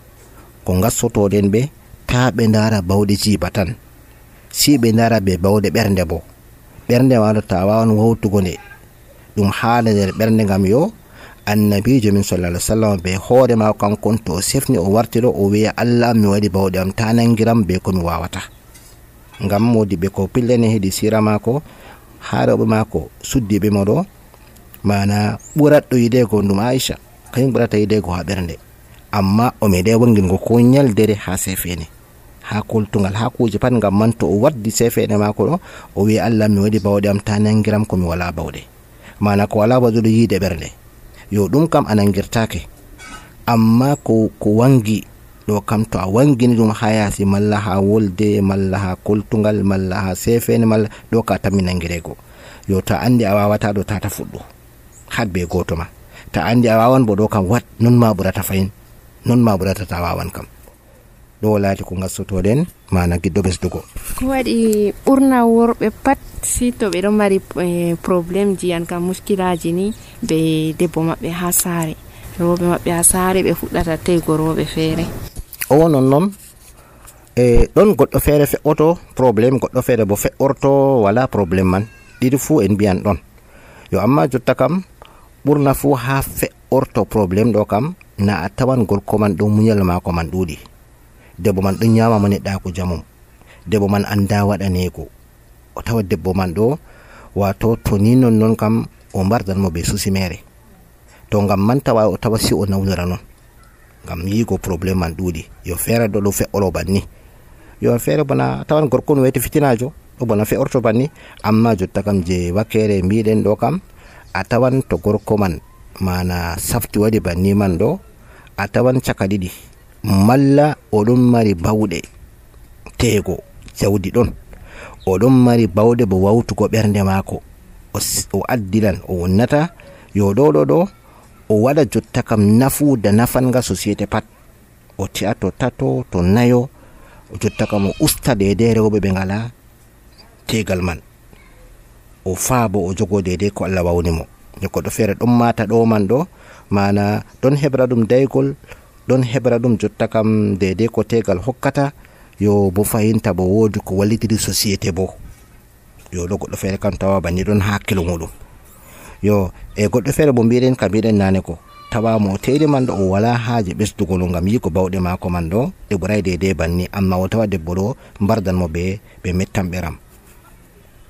ko gassotoɗen ɓe ta ɓe ndara bawɗe jiiba tan, si ɓe ndara be bawɗe ɓernde bo. ɓernde maɗo ta wawan wawtugo nde ɗum haala nder ɓernde, ngam yo annabijo min sallallahu alaihi wasallam be hoore ma kankon to sefni o warti ɗo o wiya Allah mi waɗi bawɗe am ta nangiram be ko mi wawata. ngam modi ɓe ko pillene hedi sira mako ha rewɓe mako suddiɓe mo ɗo, mana ɓuratɗo yidego ɗum Aisha, kañum ɓurata yidego ha ɓernde, amma o meɗe wangilgo ko nyaldere ha sefene, ha koltugal, ha kuje pat. ngam man to o waddi sefene mako ɗo o wiya Allah mi waɗi bawɗe am ta nangiram ko mi wala bawɗe, mana ko wala waɗuɗo yiide ɓernde. yo ɗum kam a nangirtake, amma ko wangi ɗo kam to a wangini ɗum ha yasi, malla ha wolde, malla ha koltugal, malla ha sefene, malla ɗo ka tammi nangirego. yo ta andi a wawata ɗo tata fuɗɗo had be goto ma, ta andi a wawan bo ɗo kam wat non ma ɓurata fayin, non ma ɓurata ta wawan kam. ɗo laati ko gassotoɗen mana giɗɗo ɓesdugo. ko waɗi ɓurna worɓe pat si to ɓe ɗo mari probléme ji an kam muskilaji ni be debbo maɓɓe ha saare, rewɓe maɓɓe ha saare ɓe fuɗɗata teygo rewɓe feere. o non ɗon goɗɗo feere fe'oto probléme, goɗɗo feere bo fe'orto wala probléme man, ɗiɗi fuu en mbiyan ɗon. yo amma jotta kam ɓurna fuu ha fe'orto probléme ɗo kam na a tawan gorko man ɗo muñal mako man ɗuuɗi, debbo man ɗon nyama mo neɗɗako jamum, debbo man anda waɗanego, o tawa debbo man ɗo wato to ni non kam o mbardan mo be susi mere, to ngam man tawa o tawa si o nawlira non ngam yigo probléme man ɗuuɗi. Yo feere ɗo fe'oro banni, yo feere bona tawan gorko no weti fitinajo ɗo bona fe'orto banni. Amma jotta kam je wakkere mbiɗen ɗo kam a tawan to gorko man mana safti waɗi banni man ɗo, a tawan caka ɗiɗi, malla oɗon mari bawɗe teego jawdi ɗon, oɗon mari bawɗe bo wawtugo ɓernde maako, o addilan o wonnata yo ɗo o waɗa jotta kam nafuuda nafanga société pat, o ti'a to tato to nayo jotta kam o usta dede rewɓe ɓe ngala tegal man, o faa bo o jogo dede ko Allah wawni mo. Goɗɗo feere ɗon mata ɗo man ɗo mana ɗon heɓra ɗum daygol, ɗon heɓra ɗum jotta kam dede ko tegal hokkata, yo bo fayinta bo woodi ko wallitiri société bo, yo ɗo goɗɗo feere kam tawa banni ɗon hakkilo muɗum. Yo goɗɗo feere bo mbiɗen ka mbiɗen nane ko tawa mo teeli man ɗo o wala haaje ɓesdugol ngam yigo bawɗe maako man ɗo ɗe ɓuray dede banni, amma o tawa debbo ɗo mbardan mo ɓe mettan ɓeram.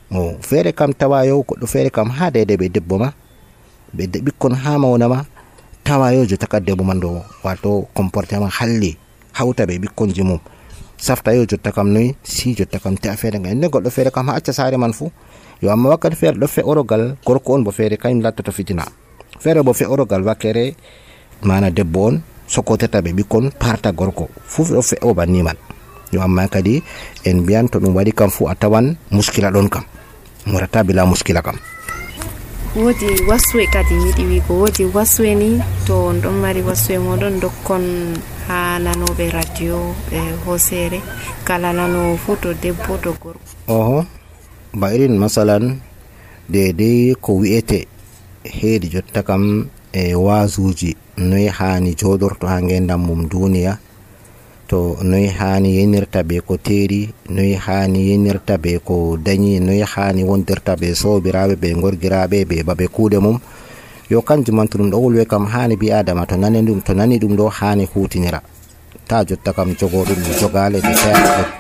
Mo feere kam tawa yo goɗɗo feere kam ha dede ɓe debbo ma ɓe ɓikkon ha mawna ma tawa yo jotta ka debbo man ɗo wato comportement halli hawta ɓe ɓikkonji mum safta yo jotta kam noy si jotta kam te a feere ngal nde goɗɗo feere kam ha acca saare man fu. Yo amma wakkati feere ɗo fe'orogal gorko on bo feere kañum lattata fitina, feere bo fe'orogal wakkere mana debbo on sokotata ɓe ɓikkon parta gorko fu ɗo fe'o banni man. Yo amma kadi en mbiyan to ɗum waɗi kam fu a tawan muskila ɗon kam, murata bila muskila kam. Woodi waswe kadi yiɗi wigo, woodi waswe ni to on ɗon mari waswe moɗon dokkon ha nanoɓe radio hosere kala nano fu to debbo to gorko. Ba irin masalan dede ko wi'ete heedi jotta kam wazuji noy hani jodorto ha ngendam mum duniya, to noy hani yenirta be ko teeri, noy hani yenirta be ko dañi, noy hani wondirta be sobiraɓe be gorgiraɓe be babe kuuɗe mum. Yo kanjum man to ɗum ɗo wolwe kam hani bi adama to nani ɗum ɗo hani hutinira, ta jotta kam jogoɗum jogale de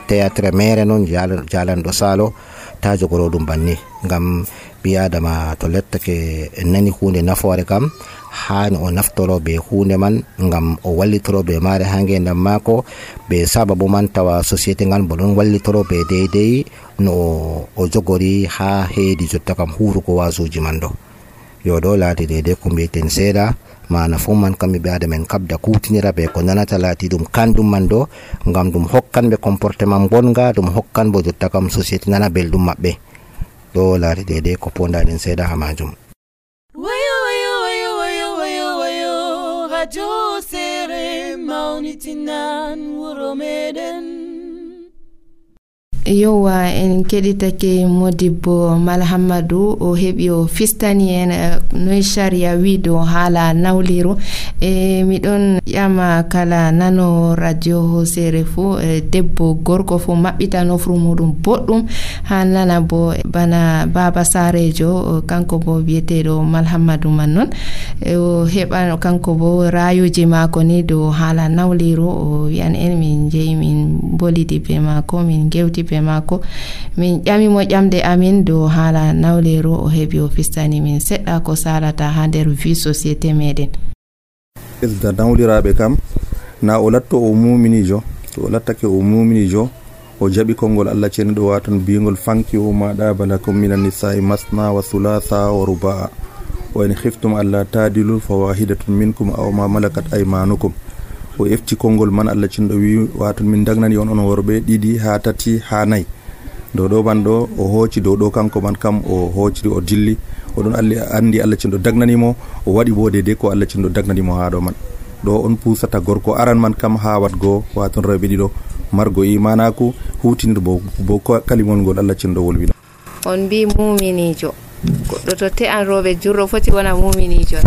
théâtre mere non jalanɗo salo, ta jogoro ɗum banni. Ngam bi adama to lettake nani hunde nafoore kam hani o naftoro be hunde man ngam o wallitoro be mare ha ngendam mako, be sababu man tawa société ngal bo ɗon wallitoro be deydey no o jogori ha heedi jotta kam huruko wasuji man ɗo. Yo ɗo laati deydey ko mbiyeten seeɗa, mana fu man kamɓe ɓe adamen kabda kutinira be ko nanata laati ɗum kanɗum man ɗo, ngam ɗum hokkan ɓe comportement bonga, ɗum hokkan bo jotta kam société nana belɗum maɓɓe. Ɗo laati deydey ko pondaɗen seeɗa ha majum. Radio Hosere mawnitinan wuro meɗen. Yowa en keɗitake Modibbo Malhamadou o heɓi o fistani en noy sharia wi dow haala nawliru. Miɗon ƴama kala nano radio Hosere fu debbo gorko fu maɓɓita nofru muɗum boɗɗum ha nana bo bana baba sarejo kanko bo biyeteɗo Malhamadou man non o heɓa kanko bo rayuji mako ni dow haala nawliru. O wiyan en min jeeyi min bolidi be mako, min gewti be mako, min ƴamimo ƴamde amin dow haala nawleru. O heɓi o fistani min seɗɗa ko salata ha nder vie société meɗen. da nawliraɓe kam na o latto o muminijo, to o lattake o muminijo o jaɓi konngol Allah cenɗo watan bigol fanki o maɗa balakum minan nisa'i masna wa thulatha wa ruba'a wa in khiftum alla tadilu fa wahidatun minkum aw ma malakat aymanukum. O efti konngol man Allah cenɗo wi watan min dagnani on worɓe ɗiɗi ha tati ha nayyi. dow ɗo man ɗo o hooci dow ɗo kanko man kam o hoociri o dilli oɗon andi Allah cenɗo dagnanimo, o waɗi bo dede ko Allah cenɗo dagnanimo ha ɗo man. ɗo on pusata gorko aran man kam ha watgo waton rewɓe ɗiɗo margo imanaku hutinir bo kalimol ngol Allah cenɗo wolwi. On mbi muminijo, goɗɗo to te'an rewɓe jurro foti wona muminijo.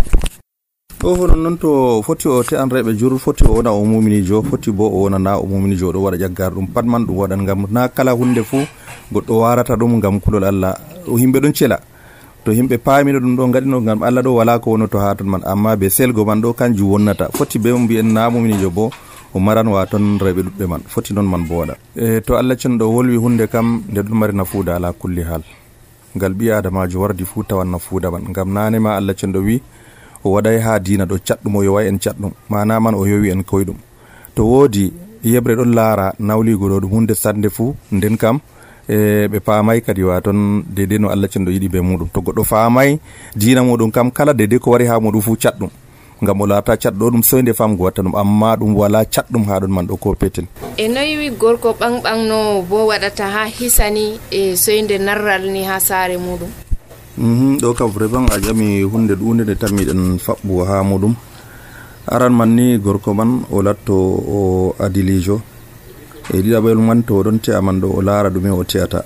o honon noon to foti o te'an rewɓe jur foti o wona o muminijo, foti bo o wona na o muminijo, ɗo waɗa ƴaggar ɗum pat man ɗum waɗan ngam na kala hunde fuu goɗɗo warata ɗum ngam kulol Allah. Himɓe ɗon cela to himɓe paamino ɗum ɗo gaɗino ngam Allah ɗo wala ko wono to ha ton man, amma be selgo man ɗo kanjum wonnata. Foti be mbi'en na muminijo bo o maran waton rewɓe ɗuɗɓe man, foti noon man bo waɗa. To Allah cenɗo wolwi hunde kam nde ɗum mari nafuuda ala kulli hal, ngal ɓi adamajo wardi fuu tawan nafuuda man. Ngam nane ma Allah cenɗo wi o waɗay ha dina ɗo catɗum o yowa en catɗum mana man o yowi en koyɗum. To woodi yebre ɗon laara nawligo ɗo ɗum hunde sande fuu, nden kam ɓe paamay kadi waton dede no Allah cenɗo yiɗi be muɗum. To goɗɗo faamay dina muɗum kam kala dede ko wari ha muɗum fuu catɗum, ngam o laata catɗo ɗum soyde famgo watta ɗum, amma ɗum wala catɗum ha ɗon man ɗo ko petel. E noyi gorko ɓanɓanno bo waɗata ha hisani e soyde narral ni ha saare muɗum? ɗo kam vraiment a ƴami hunde ɗunde nde tammiɗen faɓɓugo ha muɗum. Aran man ni gorko man o latto o adilijo, e ɗiɗaɓol man to oɗon te'a man ɗo o laara ɗume o te'ata,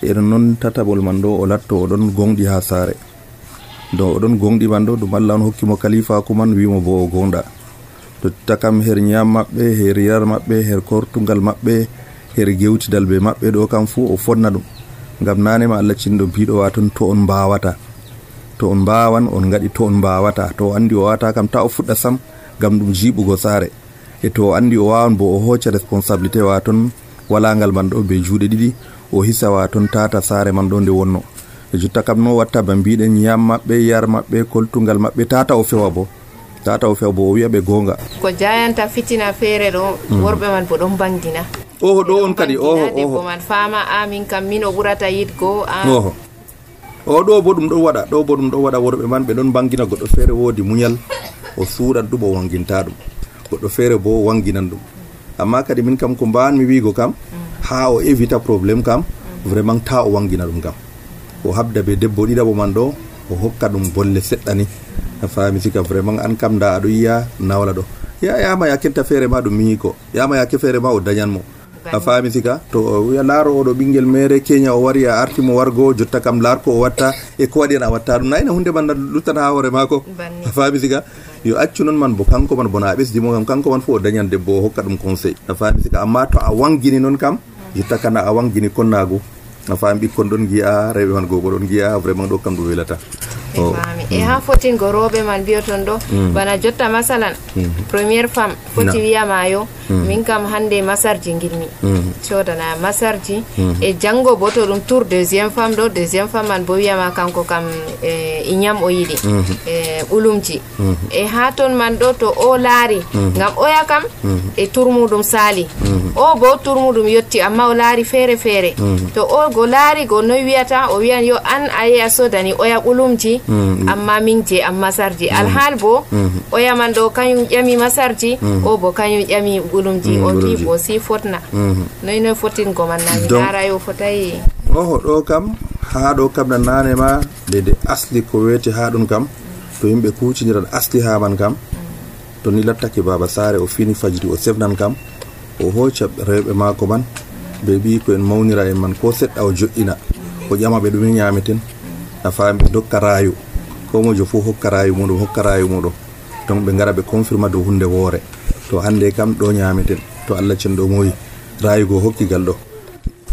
e ɗon noon tataɓol man ɗo o latto oɗon gonɗi ha saare. Do oɗon gonɗi man ɗo ɗum Allah on hokkimo kalifaku man wimo bo o gonɗa. To takam her ñam maɓɓe, her yar maɓɓe, her kortugal maɓɓe, her gewtidal be maɓɓe ɗo kam fuu o fonna ɗum, ngam nanema Allah cinɗo biɗo waton to on mbawata, to on mbawan on gaɗi, to on mbawata to o andi o wata kam ta o fuɗɗa sam, ngam ɗum jiɓugo saare. E to o andi o wawan bo o hocca responsabilité waton walangal man ɗo be juuɗe ɗiɗi, o hisa waton tata saare man ɗo nde wonno. E jotta kam no watta ba mbiɗen ñam maɓɓe, yar maɓɓe, koltugal maɓɓe tata o fewa bo o wi'a ɓe gonga ko jayanta fitina feere ɗo worɓe man bo ɗon bangina. Oho ɗo on kadi oho man fama amin kam min o ɓurata yidgo oho o ɗo bo ɗum ɗon waɗa worɓe man ɓe ɗon bangina. Goɗɗo feere woodi muñal, o suuɗan ɗum o wanginta ɗum, goɗɗo feere bo wanginan ɗum. Amma kadi min kam ko mbanmi wiigo kam ha o évita probléme kam vraiment ta o wangina ɗum kam, o habda be debbo ɗiɗaɓo man ɗo o hokka ɗum bolle seɗɗani, a faami sika vraiment an kam da aɗo yiya nawla ɗo yama ya kenta feere ma ɗum miñiko, yama yake feere ma o dañanmo, a faami sika. To o wiya laaro oɗo ɓinguel mere keña o wari a artimo wargo, jotta kam laar ko o watta e ko waɗi en a watta ɗum, nayna hunde man luttan ha hoore mako, a faami sika. Yo accu non man bo kanko man bona a ɓesdimo kam kanko man fu o dañan debbo o hokka ɗum conseil, a faami sika. Amma to a wangini non kam jotta kana a wangini konnago, a faami ɓikkon ɗon giya, rewɓe man gogo ɗon giya, vraiment ɗo kam ɗum welata. E ha fotingo rewɓe man biyoton ɗo bana jotta masalan premiére femme foti wiyamayo min kam hande masarji ngilmi sodana masarji, e janggo bo to ɗum tour deuxiéme femme ɗo, deuxiéme femme man bo wiyama kanko kam e ñam o yiɗi ɓulumji, e ha ton man ɗo to o laari ngam oya kam e tour muɗum sali, o bo tour muɗum yetti amma o laari feere feere, to o go laari go noy wiyata o wiyan yo an a yeya sodani oya ɓulumji amma min je am masarji, alhaal bo oya man ɗo kañum ƴami masarji, o bo kañum ƴami ɓulumji, o fi bo si fotna noy fotingo man nami nara yo fotayi. Oho ɗo kam ha ɗo kam nan nane ma dede asli ko weti ha ɗum kam to yimɓe kuciniran asli ha man kam to ni lattake baba saare o fini fajiri o sefnan kam o hocca rewɓe mako man be ɓi ko en mawnira en man ko seɗɗa o joƴƴina o ƴama ɓe ɗume ñameten, a faami ɓe dokka rayu, ko mojo fu hokka rayu muɗum donc ɓe ngara ɓe confirma dow hunde woore, to hande kam ɗo ñameten, to Allah cenɗo moyi rayugo hokkigal ɗo,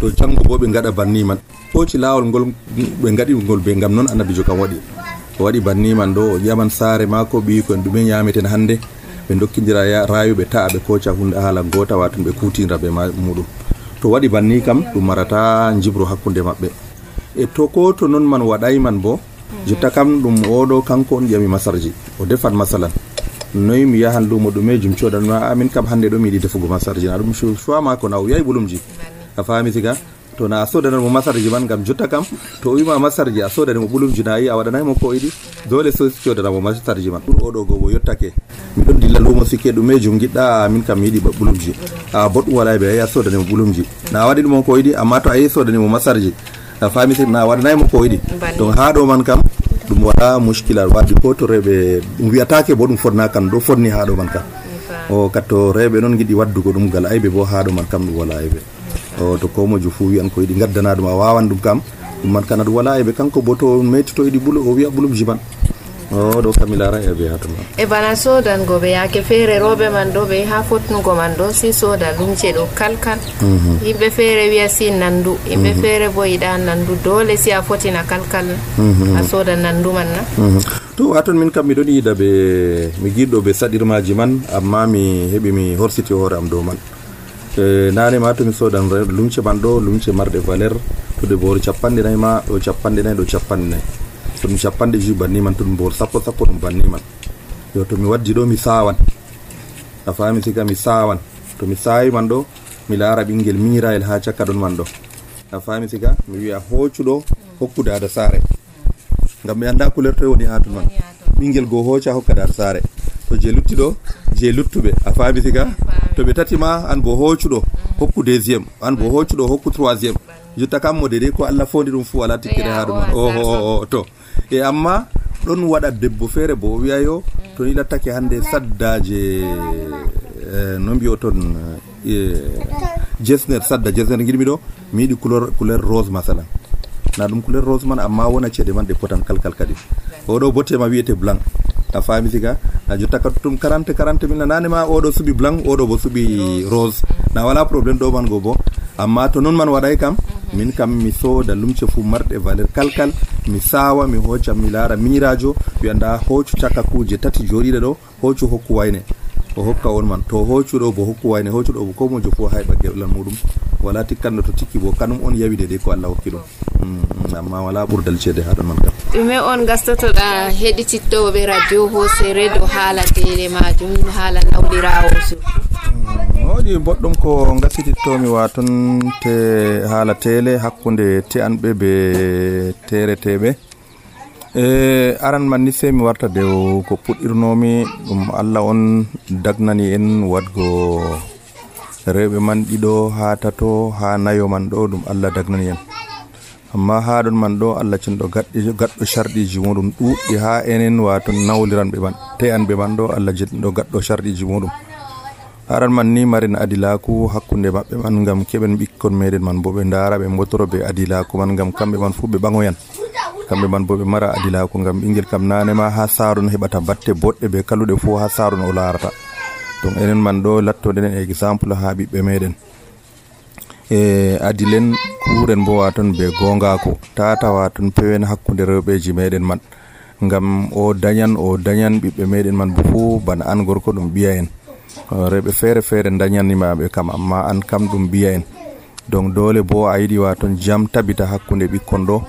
to janggo bo ɓe ngaɗa banni man hoci lawol ngol ɓe ngaɗi ngol be ngam noon annabijo kam waɗi banni man ɗo o ƴaman saare mako ɓi ko en ɗume ñameten hande, ɓe dokkidira rayu ɓe ta'a ɓe koca hunde haala gota waton ɓe kutinira be muɗum, to waɗi banni kam ɗum marata jibro hakkunde maɓɓe. E to ko to non man waɗay man bo jotta kam ɗum oɗo kanko on ƴami masarji o defat masalan noyi mi yahan lumo ɗumejum codanma amin kam hande ɗo mi yiɗi defugo masarji, na ɗum choix mako na o yahi ɓulumji, a faami siga. To na a sodanamo masarji man ngam jotta kam to o wima masarji a sodanimo ɓulumji na yi a waɗanaymo ko yiɗi, dole so codanamo masarji man. ɗum oɗo gobo yottake miɗon dilla lumo sikke ɗumejum giɗɗa min kam mi yiɗi ɓulumji, a boɗɗum wala ɓe a sodanimo ɓulumji na a waɗi ɗumon ko yiɗi, amma to a yehi sodanimo masarji a faami si na waɗanaymo ko yiɗi, donc ha ɗo man kam ɗum waɗa muskilal wadde ko to rewɓe ɗum wiyatake bo ɗum fonna kam ɗo fonni ha ɗo man kam o katto rewɓe noon giɗi waddugo ɗum gal ayɓe bo ha ɗo man kam ɗum wala ayɓe o to ko mojo fu wiyan ko yiɗi gaddana ɗum a wawan ɗum kam ɗum man kana ɗum wala ayɓe kanko bo to metti to yiɗi ɓulo o wiya ɓulumji man o ɗo kam mi lara ayɓe ha to man. E bana sodango ɓe yake feere rewɓe man ɗo ɓe ha fotnugo man ɗo si soda lumce ɗo kalkal, yimɓe feere wiya si nandu, yimɓe feere bo yiɗa nandu, dole si a fotina kalkal a soda nandu man na. To waton min kam miɗon yiɗa ɓe mi giɗɗo ɓe saɗirmaji man, amma mi heɓi mi horsiti hoore am dow man. Nane ma to mi sodan lumce man ɗo lumce marɗe valeur to de boori 49 ma ɗo 49 ɗo 49 to ɗum capanɗe jui banni man, to ɗum bor sappo ɗum banni man. Yo to mi waddi ɗo mi sawan, a fami siga mi sawan, to mi sawi man ɗo mi lara ɓingel miñirayel ha cakka ɗon man ɗo, a fami siga mi wi'a hoccuɗo hokku dada sare, ngam mi anda couleur to woni ha ton man. Ɓingel go hocca hokka dada sare, to je lutti ɗo je luttuɓe, a fami siga to ɓe tati ma an bo hoccuɗo hokku deuxiéme, an bo hoccuɗo hokku troisiéme, jotta kam mo dede ko Allah fondi ɗum fu wala tikkere ha ɗum man. To e amma ɗon waɗa debbo feere bo o wi'a yo to ni lattake hande saddaje no mbiyo ton jesner, sadda jesner giɗmi ɗo mi yiɗi couleur rose masalan, na ɗum couleur rose man amma wona ceeɗe man ɗe potan kalkal kadi, oɗo bottema wiyete blanc, a fami siga a jotta ka tum 40 mille nane ma oɗo suɓi blanc oɗo bo suɓi rose, na wala probléme ɗo man go bo. Amma to non man waɗay kam min kam mi sooda lumce fu marɗe valeur kalkal, mi sawa mi hocca mi lara miñirajo wi anda hoccu cakka kuje tati joɗiɗe ɗo, hoccu hokku wayne o hokka on man, to hoccuɗo bo hokku wayne, hoccuɗo bo ko mojo fu hayɓa gewɗal muɗum, wala tikkanno to tikki bo kanum on yawi de ko Allah hokki ɗum. Amma wala ɓurdal ceede ha ɗon man kam. ɗume on gastotoɗa heɗitittoɓe radio Hosere do haala tele majum, haala nawlirawo surtout? Woodi boɗɗum ko gasitittomi waton te haala tele hakkunde te'anɓe be tereteɓe. Aran man ni sey mi warta dew ko puɗɗirnomi ɗum Allah on dagnani en wadgo rewɓe man ɗiɗo ha tato ha nayo man ɗo ɗum Allah dagnani en, amma ha ɗon man ɗo Allah cinɗo gaɗɗo sharɗiji muɗum ɗuɗɗi ha enen waton nawliranɓe man te'anɓe man ɗo Allah jinɗo gaɗɗo sharɗiji muɗum. Aran man ni marin adilaku hakkunde maɓɓe man ngam keɓen ɓikkon meɗen man bo ɓe ndara ɓe mbotoro be adilaku man ngam kamɓe man fu ɓe ɓaŋoyan, kamɓe man bo ɓe mara adilaku ngam ɓingel kam nane ma ha saron heɓata batte boɗɗe be kaluɗe fu ha saron o larata. Donc enen man ɗo lattoɗen exemple ha ɓiɓɓe meɗen adilen kuren bo waton be gongako tata waton pewen hakkunde rewɓeji meɗen man, ngam o dañan ɓiɓɓe meɗen man bo fu bana an gorko ɗum ɓiya en, rewɓe feere dañanimaɓe kam amma an kam ɗum ɓiya en. Donc dole bo a yiɗi waton jam tabita hakkunde ɓikkon ɗo,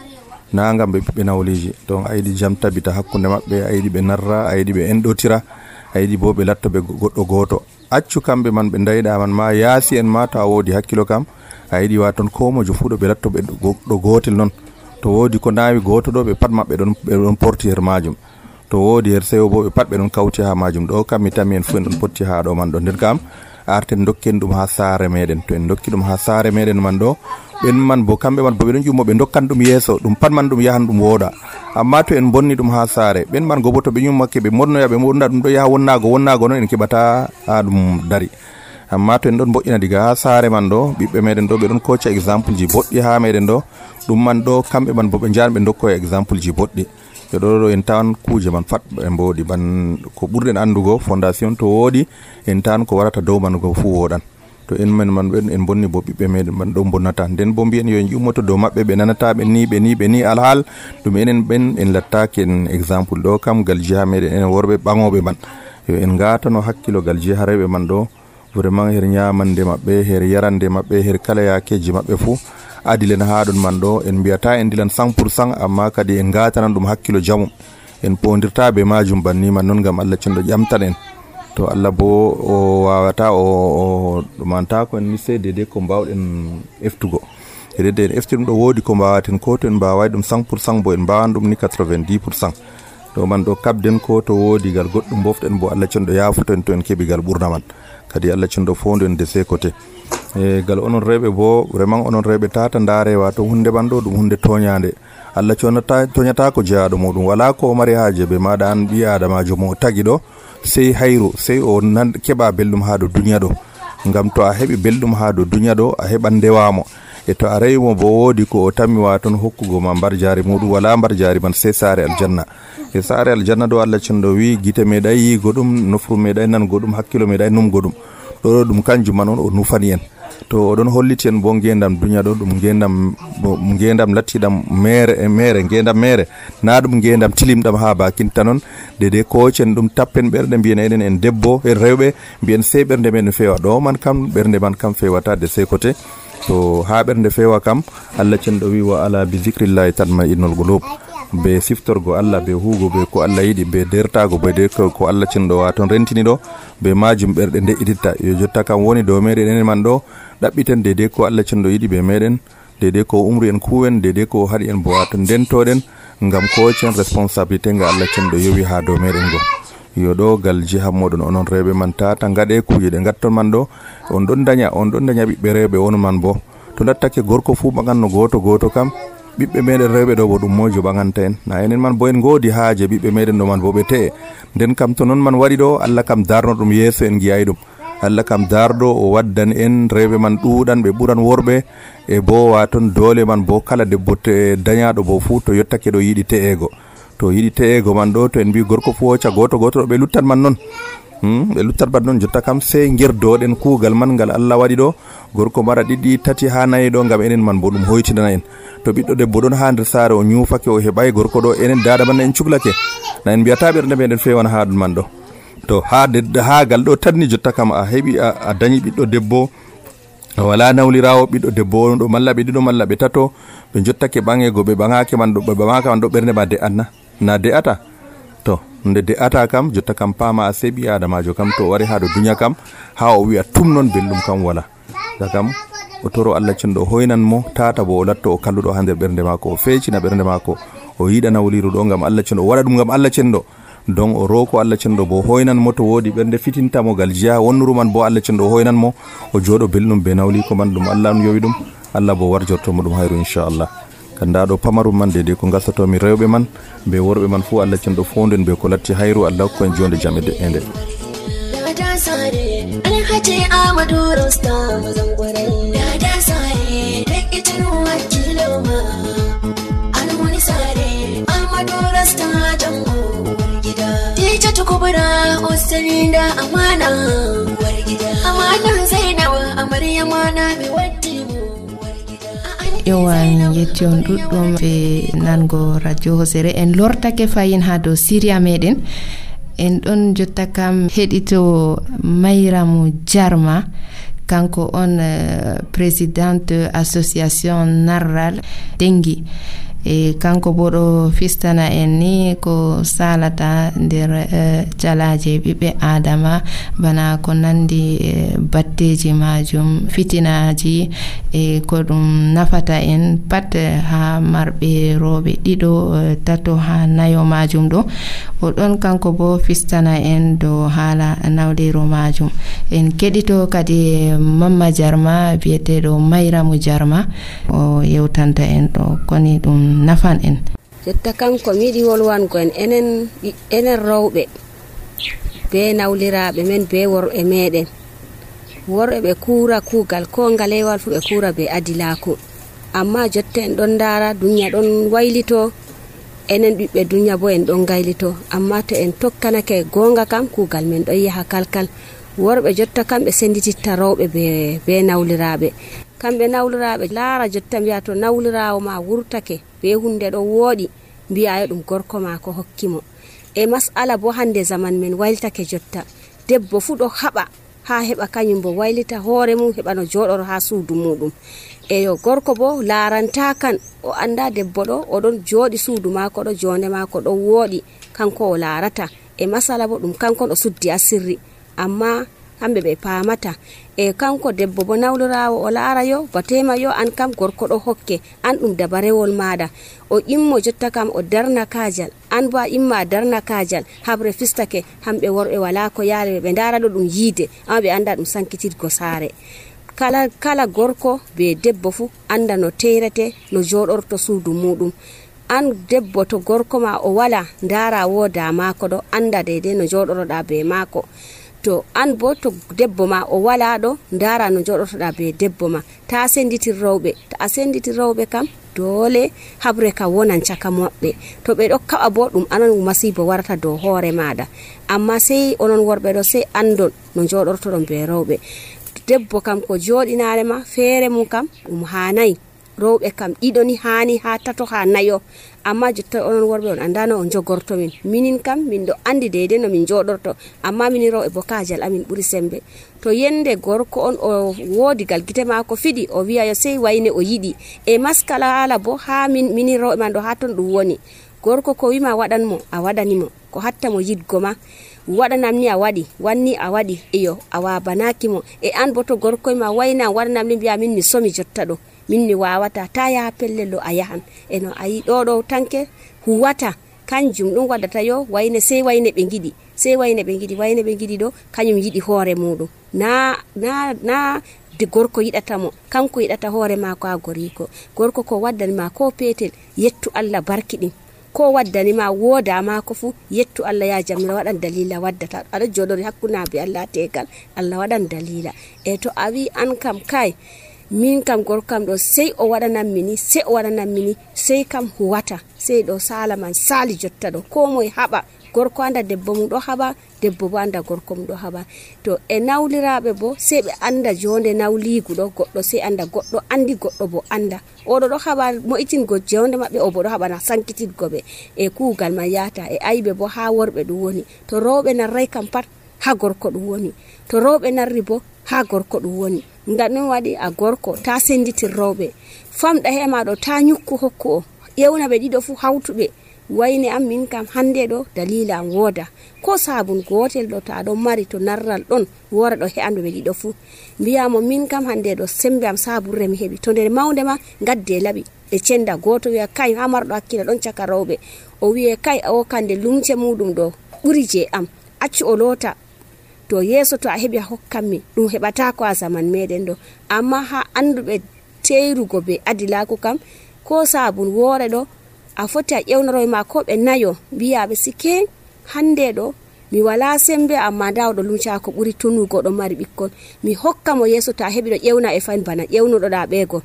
na ngam ɓe ɓiɓɓe nawliji, donc a yiɗi jam tabita hakkunde maɓɓe, a yiɗi ɓe narra, a yiɗi ɓe enɗotira, a yiɗi bo ɓe latto ɓe goɗɗo goto, accu kamɓe man ɓe dayɗa man ma yaasi en ma to a wodi hakkilo kam a yiɗi waton ko mojo fu ɗo ɓe latto ɓe ɗo gotel non, to wodi ko nawi goto ɗo ɓe pat maɓɓe ɗon porti her majum, to wodi her sewo bo ɓe pat ɓe ɗon kawti ha majum. Ɗo kam mi tami en fu en ɗon potti ha ɗo man ɗo, nden kam arten dokken ɗum ha saare meɗen, to en dokki ɗum ha saare meɗen man ɗo ɓen man bo kamɓe man bo ɓe ɗon ƴummo ɓe dokkan ɗum yeeso, ɗum pat man ɗum yahan ɗum wooda. Amma to en bonni ɗum ha saare ɓen man go bo to ɓe ƴummake ɓe monnoya ɓe wonda ɗum ɗo yaha wonnago noon en keɓata ha ɗum dari. Amma to en ɗon boƴƴina diga ha saare man ɗo ɓiɓɓe meɗen ɗo ɓe ɗon kocca exemple ji boɗɗi ha meɗen ɗo, ɗum man ɗo kamɓe man bo ɓe jahan ɓe dokkoya exemple ji boɗɗi. ɓe ɗo en tawan kuje man fat ɓe mbodi ban ko ɓurɗen andugo fondation to wodi en tan ko warata dow man go fu woɗan, to en men man ɓen en bonni bo ɓiɓɓe meɗen man ɗo bonnata, nden bo mbiyen yo en ƴummoto dow maɓɓe ɓe nanata ɓe ni alhal ɗum enen ɓen en lattaki en exemple ɗo kam gal jiha meɗen enen worɓe ɓaŋoɓe man, yo en gatano hakkilo gal jiha rewɓe man ɗo vraiment her ñamande maɓɓe, her yarande maɓɓe, her kala yakeji maɓɓe fu adilen ha ɗon man ɗo en mbiyata en dilan 100%, amma kadi en gatanan ɗum hakkilo jamu, en pondirta be majum banni man non gam Allah cenɗo ƴamtan en, to Allah bo o wawata o ɗumanta ko en ni sede de ko mbawɗen eftugo hedede en efti ɗum ɗo wodi ko mbawaten ko to en mbawai ɗum 100% bo en mbawan ɗum ni 90%, to man ɗo kabden ko to wodi gal goɗɗum boften bo Allah cenɗo yafuto to en keɓi gal ɓurna man, kadi Allah cenɗo fondu en de ses côté. Gal onon rewɓe bo vraiment onon rewɓe tata ndarewa to hunde man ɗo ɗum hunde toñade, Allah toñata ko jeyaɗo muɗum, wala ko mari haje be maɗa an ɓi adamajo mo tagi ɗo sey hayru, sey o keɓa belɗum ha do duniya ɗo, ngam to a heɓi belɗum ha do duniya ɗo a heɓan ndewamo, e to a rewimo bo wodi ko o tammi waton hokkugo ma mbar jari muɗum, wala mbar jari man sey saare aljanna. E saare aljanna ɗo Allah cenɗo wi gite meɗay yigo ɗum, nofru meɗay nango ɗum, hakkilo meɗay numgo ɗum, ɗo ɗum kanjum man on o nufani en, to oɗon holliti en bo ngendam duniya ɗo ɗum ngendam lattiɗam mere ngendam mere, na ɗum ngendam tilimɗam ha bakinta non, dede kocen ɗum tappen ɓerɗe mbiyen enen en debbo en rewɓe mbiyen sey ɓernde men fewa, ɗo man kam ɓernde man kam fewata de sey côté, to ha ɓernde fewa kam Allah cenɗo wi wa ala bi zicrillahi tatma innol qulub, be siftorgo Allah be huugo be ko Allah yiɗi be dertago be de ko Allah cenɗo waton rentini ɗo be majum ɓerɗe de'ititta yo jotta kam woni dow meɗen enen man ɗo ɗaɓɓiten dede ko Allah cenɗo yiɗi be meɗen dede ko umri en kuwen dede ko haɗi en bo waton dentoɗen ngam kocen responsabilité nga Allah cenɗo yowi ha dow meɗen go yo ɗo gal jiha moɗon onon rewɓe man tata gaɗe kuje ɗe gatton man ɗo on ɗon daña ɓiɓɓe rewɓe on man bo to lattake gorko fu ɓaganno goto kam ɓiɓɓe meɗen rewɓe ɗo bo ɗum mojo ɓaganta en na enen man bo en godi haaje ɓiɓɓe meɗen ɗo man bo ɓe te'e nden kam to non man waɗi ɗo Allah kam darno ɗum yeeso en giyayi ɗum Allah kam darɗo o waddan en rewɓe man ɗuɗan ɓe ɓuran worɓe e bo waton doole man bo kala debbo dañaɗo bo fu to yottake ɗo yiɗi te'ego man ɗo to en mbi gorko fu hocca goto ɗo ɓe luttan man non ɓe luttat man non jotta kam sey gerdoɗen kuugal man ngal Allah waɗi ɗo gorko mara ɗiɗi tati ha nayi ɗo ngam enen man bo ɗum hoytinana en to ɓiɗɗo debbo ɗon ha nder saare o ñufake o heɓay gorko ɗo enen dada man en cuhlake na en mbiyata ɓernde meɗen fewan ha ɗum man ɗo to ha gal ɗo tanni jotta kam a heɓi a dañi ɓiɗɗo debbo wala nawlirawo ɓiɗɗo debbo ɗo malla ɓe ɗiɗo malla ɓe tato ɓe jottake ɓangego ɓe ɓangake man ɗo ɓernde ma de'atna na de'ata to nde de'ata kam jotta kam pama a seɓi adamajo kam to wari ha ɗo duña kam ha o wi'a tum non belɗum kam wala da kam o toro Allah cenɗo hoynan mo tata bo o latto o kalluɗo ha nder ɓernde mako o feccina ɓernde mako o yiɗa nawliru ɗo ngam Allah cenɗo o waɗa ɗum ngam Allah cenɗo don o roko Allah cenɗo bo hoynan mo to wodi ɓernde fitintamo gal jiya wonnuru man bo Allah cenɗo hoynan mo o jooɗo belɗum be nawli ko man ɗum Allah yowi ɗum Allah bo warjortomo ɗum hayru inchallah kanda ɗo pamarum man dede ko gassatomi rewɓe man be worɓe man fu Allah cenɗo fonden be ko latti hayru Allah ko en jonde jam e de'ende Alhaji Amadou Rostam Zangwarai Dada Sare Rekitin wakilo ma Almuni Sare Amadou Rostam Jango Wargida Teacher Tukubura Osalinda Amana Wargida Amana Zainawa Amariyamana Mi Watimu Yowan yetti on ɗuɗɗum ɓe nango radio Hosere en lortake fayin ha dow Syria meɗen en ɗon jotta kam heɗito Mayramu Jarma kanko on présidente association narral dengi e kanko bo ɗo fistana en ni ko salata nder jalaje ɓiɓɓe adama bana ko nandi batteji majum fitinaji e ko ɗum nafata en pat ha marɓe rooɓe ɗiɗo tato ha nayo majum ɗo o ɗon kanko bo fistana en dow haala nawlero majum en keɗito kadi Mamma Jarma biyeteɗo Mayramu Jarma o yewtanta en ɗo koni ɗum nafan en jotta kanko mi yiɗi wolwango en enen rewɓe be nawliraɓe men be worɓe meɗen worɓe ɓe kuura kuugal ko ngalewal fu ɓe kuura be adilako amma jotta en ɗon dara dunya ɗon waylito enen ɓiɓɓe dunya bo en ɗon gaylito amma to en tokkanake gonga kam kuugal men ɗon yaha kalkal worɓe jotta kamɓe sendititta rewɓe be nawliraɓe kamɓe nawliraɓe laara jotta mbiya to nawlirawo ma wurtake be hunde ɗo wooɗi mbiyayo ɗum gorko ma ko hokkimo e masala bo hande zaman men wayltake jotta debbo fu ɗo haɓa ha heɓa kañum bo waylita hoore mum heɓa no joɗoro ha suudu muɗum e yo gorko bo laranta kan o anda debbo ɗo oɗon joɗi suudu mako ɗo jonde mako ɗo wooɗi kanko o larata e masala bo ɗum kankon o suddi asirri amma hamɓe ɓe paamata e kanko debbo bo nawlirawo o laara yo batema yo an kam gorko ɗo hokke an ɗum dabarewol maɗa o immo jotta kam o darna kajal an bo a imma a darna kajal habre fistake hamɓe worɓe wala ko yaale ɓe dara ɗo ɗum yiide amma ɓe anda ɗum sankitirgo saare kala gorko be debbo fu anda no teyrete no joɗorto suudu muɗum an debbo to gorko ma o wala dara woda mako ɗo anda deydey no joɗoroɗa be mako to an bo to debbo ma o wala ɗo dara no joɗotoɗa be debbo ma ta senditir rewɓe ta a senditir rewɓe kam dole habre ka wonan caka maɓɓe to ɓe ɗo kaɓa bo ɗum anan masibo warata dow hoore maɗa amma sey onon worɓe ɗo sey andon no joɗortoɗon be rewɓe debbo kam ko joɗinare ma feere mum kam ɗum hanayi rewɓe kam ɗiɗo ni hani ha tato ha nayo amma jotta onon worɓe on andano on jogorto min minin kam min ɗo andi deydey no min joɗorto amma minin rewɓe bo kajal amin ɓuri sembe to yende gorko on o woodi gal gite mako fiɗi o wiya yo sey wayne o yiɗi e maskala ala bo ha minin rewɓe man ɗo ha ton ɗum woni gorko ko wima waɗanmo a waɗanimo, ko hatta mo yidgo ma waɗanam ni a waɗi, wanni a waɗi, iyo a wabanaki mo. E an bo to gorko ma wayna waɗanam ni mbiya min mi somi jotta ɗo, min mi wawata, ta yaha pellel ɗo a yahan. Eno ayi ɗo tanke huwata kanjum ɗum waddata yo wayne sey wayne ɓe giɗi, sey wayne ɓe giɗi ɗo kañum yiɗi hoore muɗum, na de gorko yiɗata mo, kanko yiɗata hoore mako ha goriko. Gorko ko waddanima ko petel yettu Allah barkiɗin, ko waddanima wooda mako fu yettu Allah ya jamira waɗan dalila waddata. aɗa joɗori hakkunaɓe Allah tegal, Allah waɗan dalila. E to a wi an kam kai min kam gorkam ɗo sey o waɗanam mini sey kam huwata, sey ɗo sala man sali jotta ɗo ko moye haɓa, gorko anda debbo mum ɗo haɓa, debbo bo anda gorko mum ɗo haɓa. To e nawliraɓe bo sey ɓe anda jonde nawligu ɗo, goɗɗo sey anda, goɗɗo andi goɗɗo bo anda, oɗo ɗo haɓa mo'itingo jonde maɓɓe, o bo ɗo haɓa na sankititgo ɓe e kuugal man yata. E aybe bo ha worɓe ɗum woni, to rewɓe narrai kam pat ha gorko ɗum woni, to rewɓe narri bo ha gorko ɗum woni. Ngam ɗum waɗi a gorko ta senditir rewɓe, famɗa hema ɗo ta nyukku hokku o, ƴewna ɓe ɗiɗo fu hawtuɓe wayne am min kam hande ɗo dalila am wooda, ko sabun gotel ɗo ta ɗon mari to narral ɗon wora ɗo he'andu ɓe ɗiɗo fu, mbiyamo min kam hande ɗo sembe am saburre mi heɓi, to nder mawde ma gadde laɓi ɓe cenda. Goto wiya kai ha marɗo hakkilo ɗon caka rewɓe, o wiye kai o kande lumce muɗum ɗo ɓuri je am, accu o loota, to yeso to a heɓi a hokkanmi, ɗum heɓata ko a zaman meɗen ɗo. Amma ha anduɓe teyrugo be adilaku kam, ko sabun woore ɗo a foti a ƴewnaroye ma ko ɓe nayo, mbiyaɓe sike hande ɗo mi wala sembe, amma nda oɗo lumca ko ɓuri tunugo ɗo mari ɓikkon, mi hokka mo yeso to a heɓi ɗo ƴewna e fayin bana ƴewnuɗoɗa ɓeego,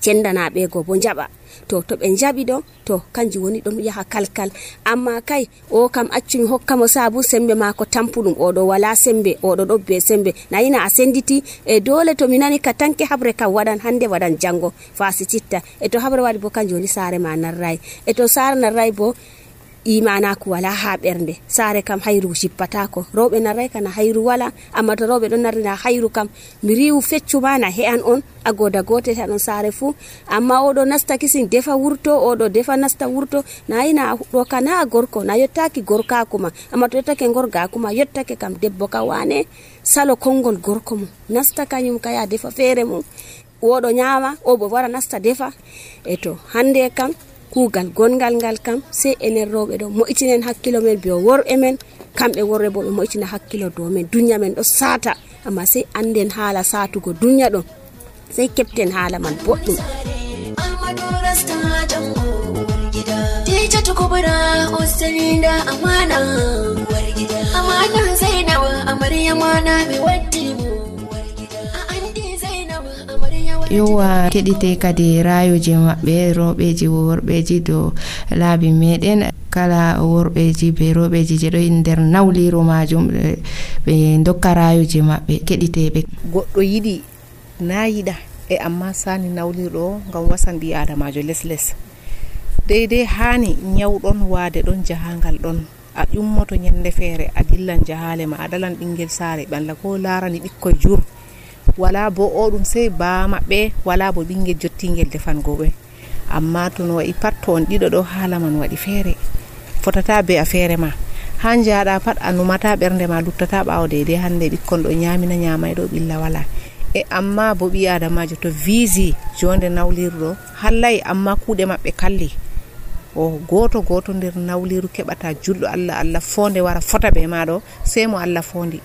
cendana ɓeego bo jaɓa. To ɓe jaɓi ɗo to kanjum woni ɗon yaha kalkal. Amma kai o kam accumi hokka mo sabu sembe mako tampuɗum, oɗo wala sembe, oɗo ɗo be sembe, nayina a senditi e dole to mi nani ka tanke habre kam waɗan hande waɗan jango fasititta. E to habre waɗi bo kanjum woni saare ma narrai, e to saare narrai bo imanaku wala ha ɓernde, saare kam hayru jippatako. Rewɓe narrai kana hayru wala, amma to rewɓe ɗon narrina hayru kam mi riwu feccuma na he'an on a goda gotel he'an on saare fu. Amma oɗo nasta kisin defa wurto, oɗo defa nasta wurto, nayina ɗo kana gorko na yottaki gorkaku ma, amma to yottake gorgaku ma yottake kam debbo ka wane salo kongol gorko mum nasta kañum kaya defa feere mum, oɗo nyama o bo wara nasta defa. E to hande kam kuugal gongal ngal kam sey enen rewɓe ɗo mo'itinen hakkilo men be worɓe men, kamɓe worɓe bo ɓe mo'itina hakkilo dow men. Dunya men ɗo sata, amma sey anden haala satugo dunya ɗon, sey kepten haala man boɗɗum. yowa keɗite kadi rayoji maɓɓe rewɓeji worɓeji dow laabi meɗen, kala worɓeji be rewɓeji je ɗo nder nawliru majum ɓe dokka rayoji maɓɓe keɗiteɓe. Goɗɗo yiɗi na yiɗa e amma sani nawlirɗo ngam wasan ɓi adamajo les deydey hani nyawɗon waade ɗon jahangal ɗon a ƴummoto nyande feere a dillan jahale ma a dalan ɓingel saare ɓalla ko larani ɓikkoye jur, wala bo o ɗum sey ba maɓɓe, wala bo ɓingel jottingel defango ɓe. Amma to no waɗi pat to on ɗiɗo ɗo haala man waɗi feere, fotata be a feere ma, ha jaaɗa pat a numata ɓernde ma luttata ɓawo deydey hande ɓikkon ɗo nyamina nyamayɗo ɓilla wala. E amma bo ɓi adamajo to visi jonde nawlirɗo hallay, amma kuuɗe maɓɓe kalli o goto nder nawliru keɓata julɗo Allah fonde wara fota be maɗo sey mo Allah fondi.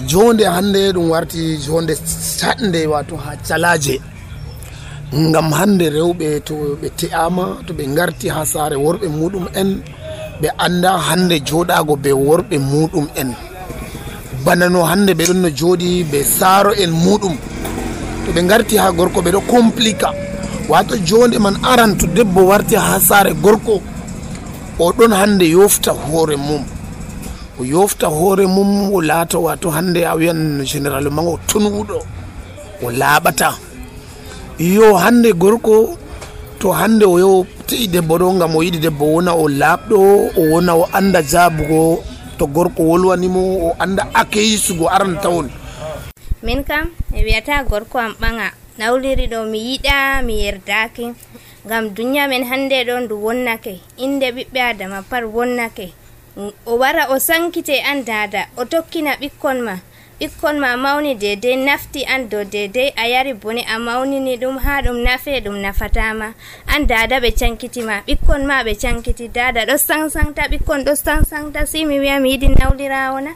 Jonde hande ɗum warti jonde saɗnde wato ha calaje, ngam hande rewɓe to ɓe te'ama to ɓe garti ha saare worɓe muɗum en ɓe anda hande joɗago be worɓe muɗum en, bana no hande ɓe ɗon no joɗi be saaro en muɗum. To ɓe garti ha gorko ɓe ɗo complica, wato jonde man aran to debbo warti ha saare gorko o ɗon hande yofta hoore mum, o yofta hoore mum o laata wato hande a wiyan généralement o tunuɗo o laaɓata. Yo hande gorko to hande o yo te'i debbo ɗo ngam o yiɗi debbo wona o laaɓɗo, o wona o anda jaabugo to gorko wolwanimo, o anda akeyisugo aran tawon. Min kam e wiyata gorko am ɓaŋa nawliri ɗo mi yiɗa mi yerdaki, ngam duniya men hande ɗo ndu wonnake, inde ɓiɓɓe adama par wonnake. O wara o sankite an dada, o tokkina ɓikkon ma mawni dedei nafti an dow dedei a yari bone a mawnini ɗum ha ɗum nafe ɗum nafatama. An dada ɓe cankitima, ɓikkon ma ɓe cankiti, dada ɗo sansanta, ɓikkon ɗo sansanta. Si mi wiya mi yiɗi nawlirawo na,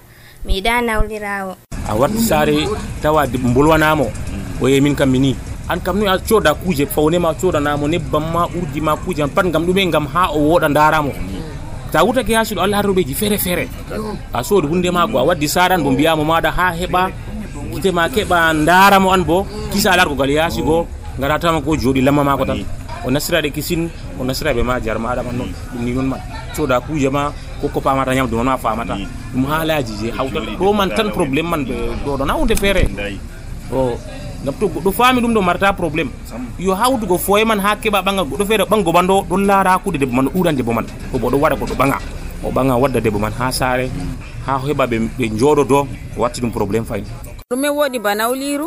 mi yiɗa nawlirawo. A warti sare tawa bolwanamo o yehi min kam mini an kam ni a coda kuje fawne ma codanamo nebbam ma urdi ma kuje pat ngam ɗume, ngam ha o woɗa daramo. Ta wutake ha suuɗo Allah har robeji fere fere a soodi hunde mako a waddi saran bo mbiyamo maɗa ha heɓa gite ma keɓa daramo an bo kisa largo gal yaasi go ngara tama ko jooɗi lamma mako tan o nasiraɗe kisin o nasiraɓe ma jar maɗa man noon ɗum ni noon man coda kuje ma ko pamata ñamdu man ma famata ɗum haalaji je hawta ɗo man tan probléme man ɗo ɗon ha hunde feere o ngam to goɗɗo faami ɗum ɗo marta probléme yo hawtugo foye man ha keɓa ɓangal goɗɗo feere ɓango man ɗo ɗon laara hakkude debbo man ɗo ɗuran debbo man ko bo ɗo waɗa goɗɗo ɓaŋa wadda debbo man ha saare ha heɓa ɓe jooɗodo o watti ɗum probléme fayin ɗume woɗi ba nawliru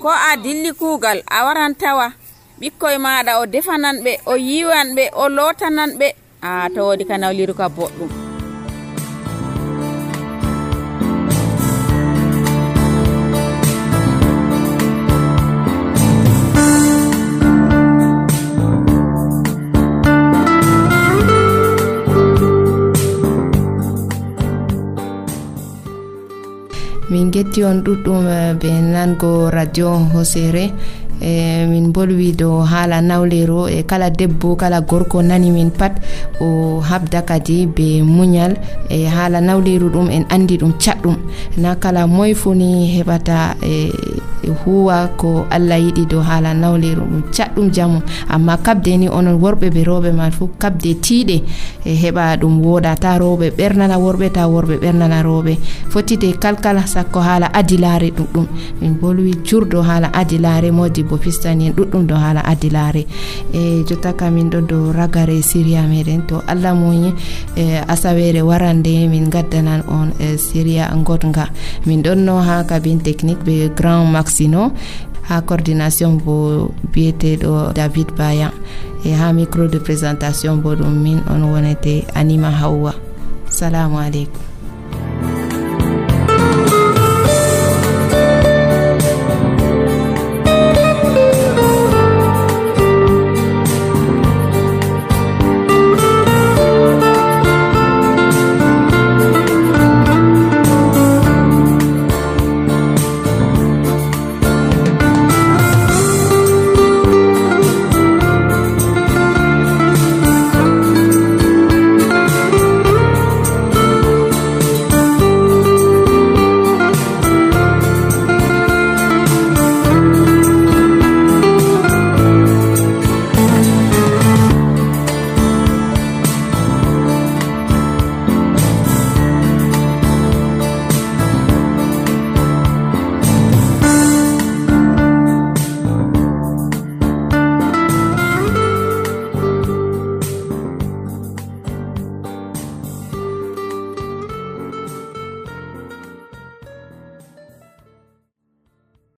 ko a dilli kuugal a waran tawa ɓikkoye maɗa o defanan ɓe o yiwan ɓe o lotanan ɓe a to woɗi ka nawliru ka boɗɗum. min getti on ɗuɗɗum ɓe nango radio hosere min bolwi dow haala nawlero e kala debbo kala gorko nani min pat o habda kadi be muñal e haala nawleru ɗum en andi ɗum catɗum na kala moye funi heɓata huwa ko Allah yiɗi dow haala nawleru ɗum catɗum jamu amma kabde ni onon worɓe be rewɓe man fu kabde tiiɗe heɓa ɗum woɗa ta rewɓe ɓernana worɓe ta worɓe ɓernana rewɓe fotide kalkala sakko haala adilare ɗuɗɗum min bolwi jurdo haala adilare modi bo fistani en ɗuɗɗum do haala adilare e jotta kam min ɗon dow ragare siriya meɗen to Allah moyi asawere warande min gaddanan on siriya godga min ɗon no ha cabine technique be grand maxino ha coordination bo biyeteɗo David Baya e ha micro de présentation bo ɗum min on wonete Anima Hawwa. Salamu aleykum.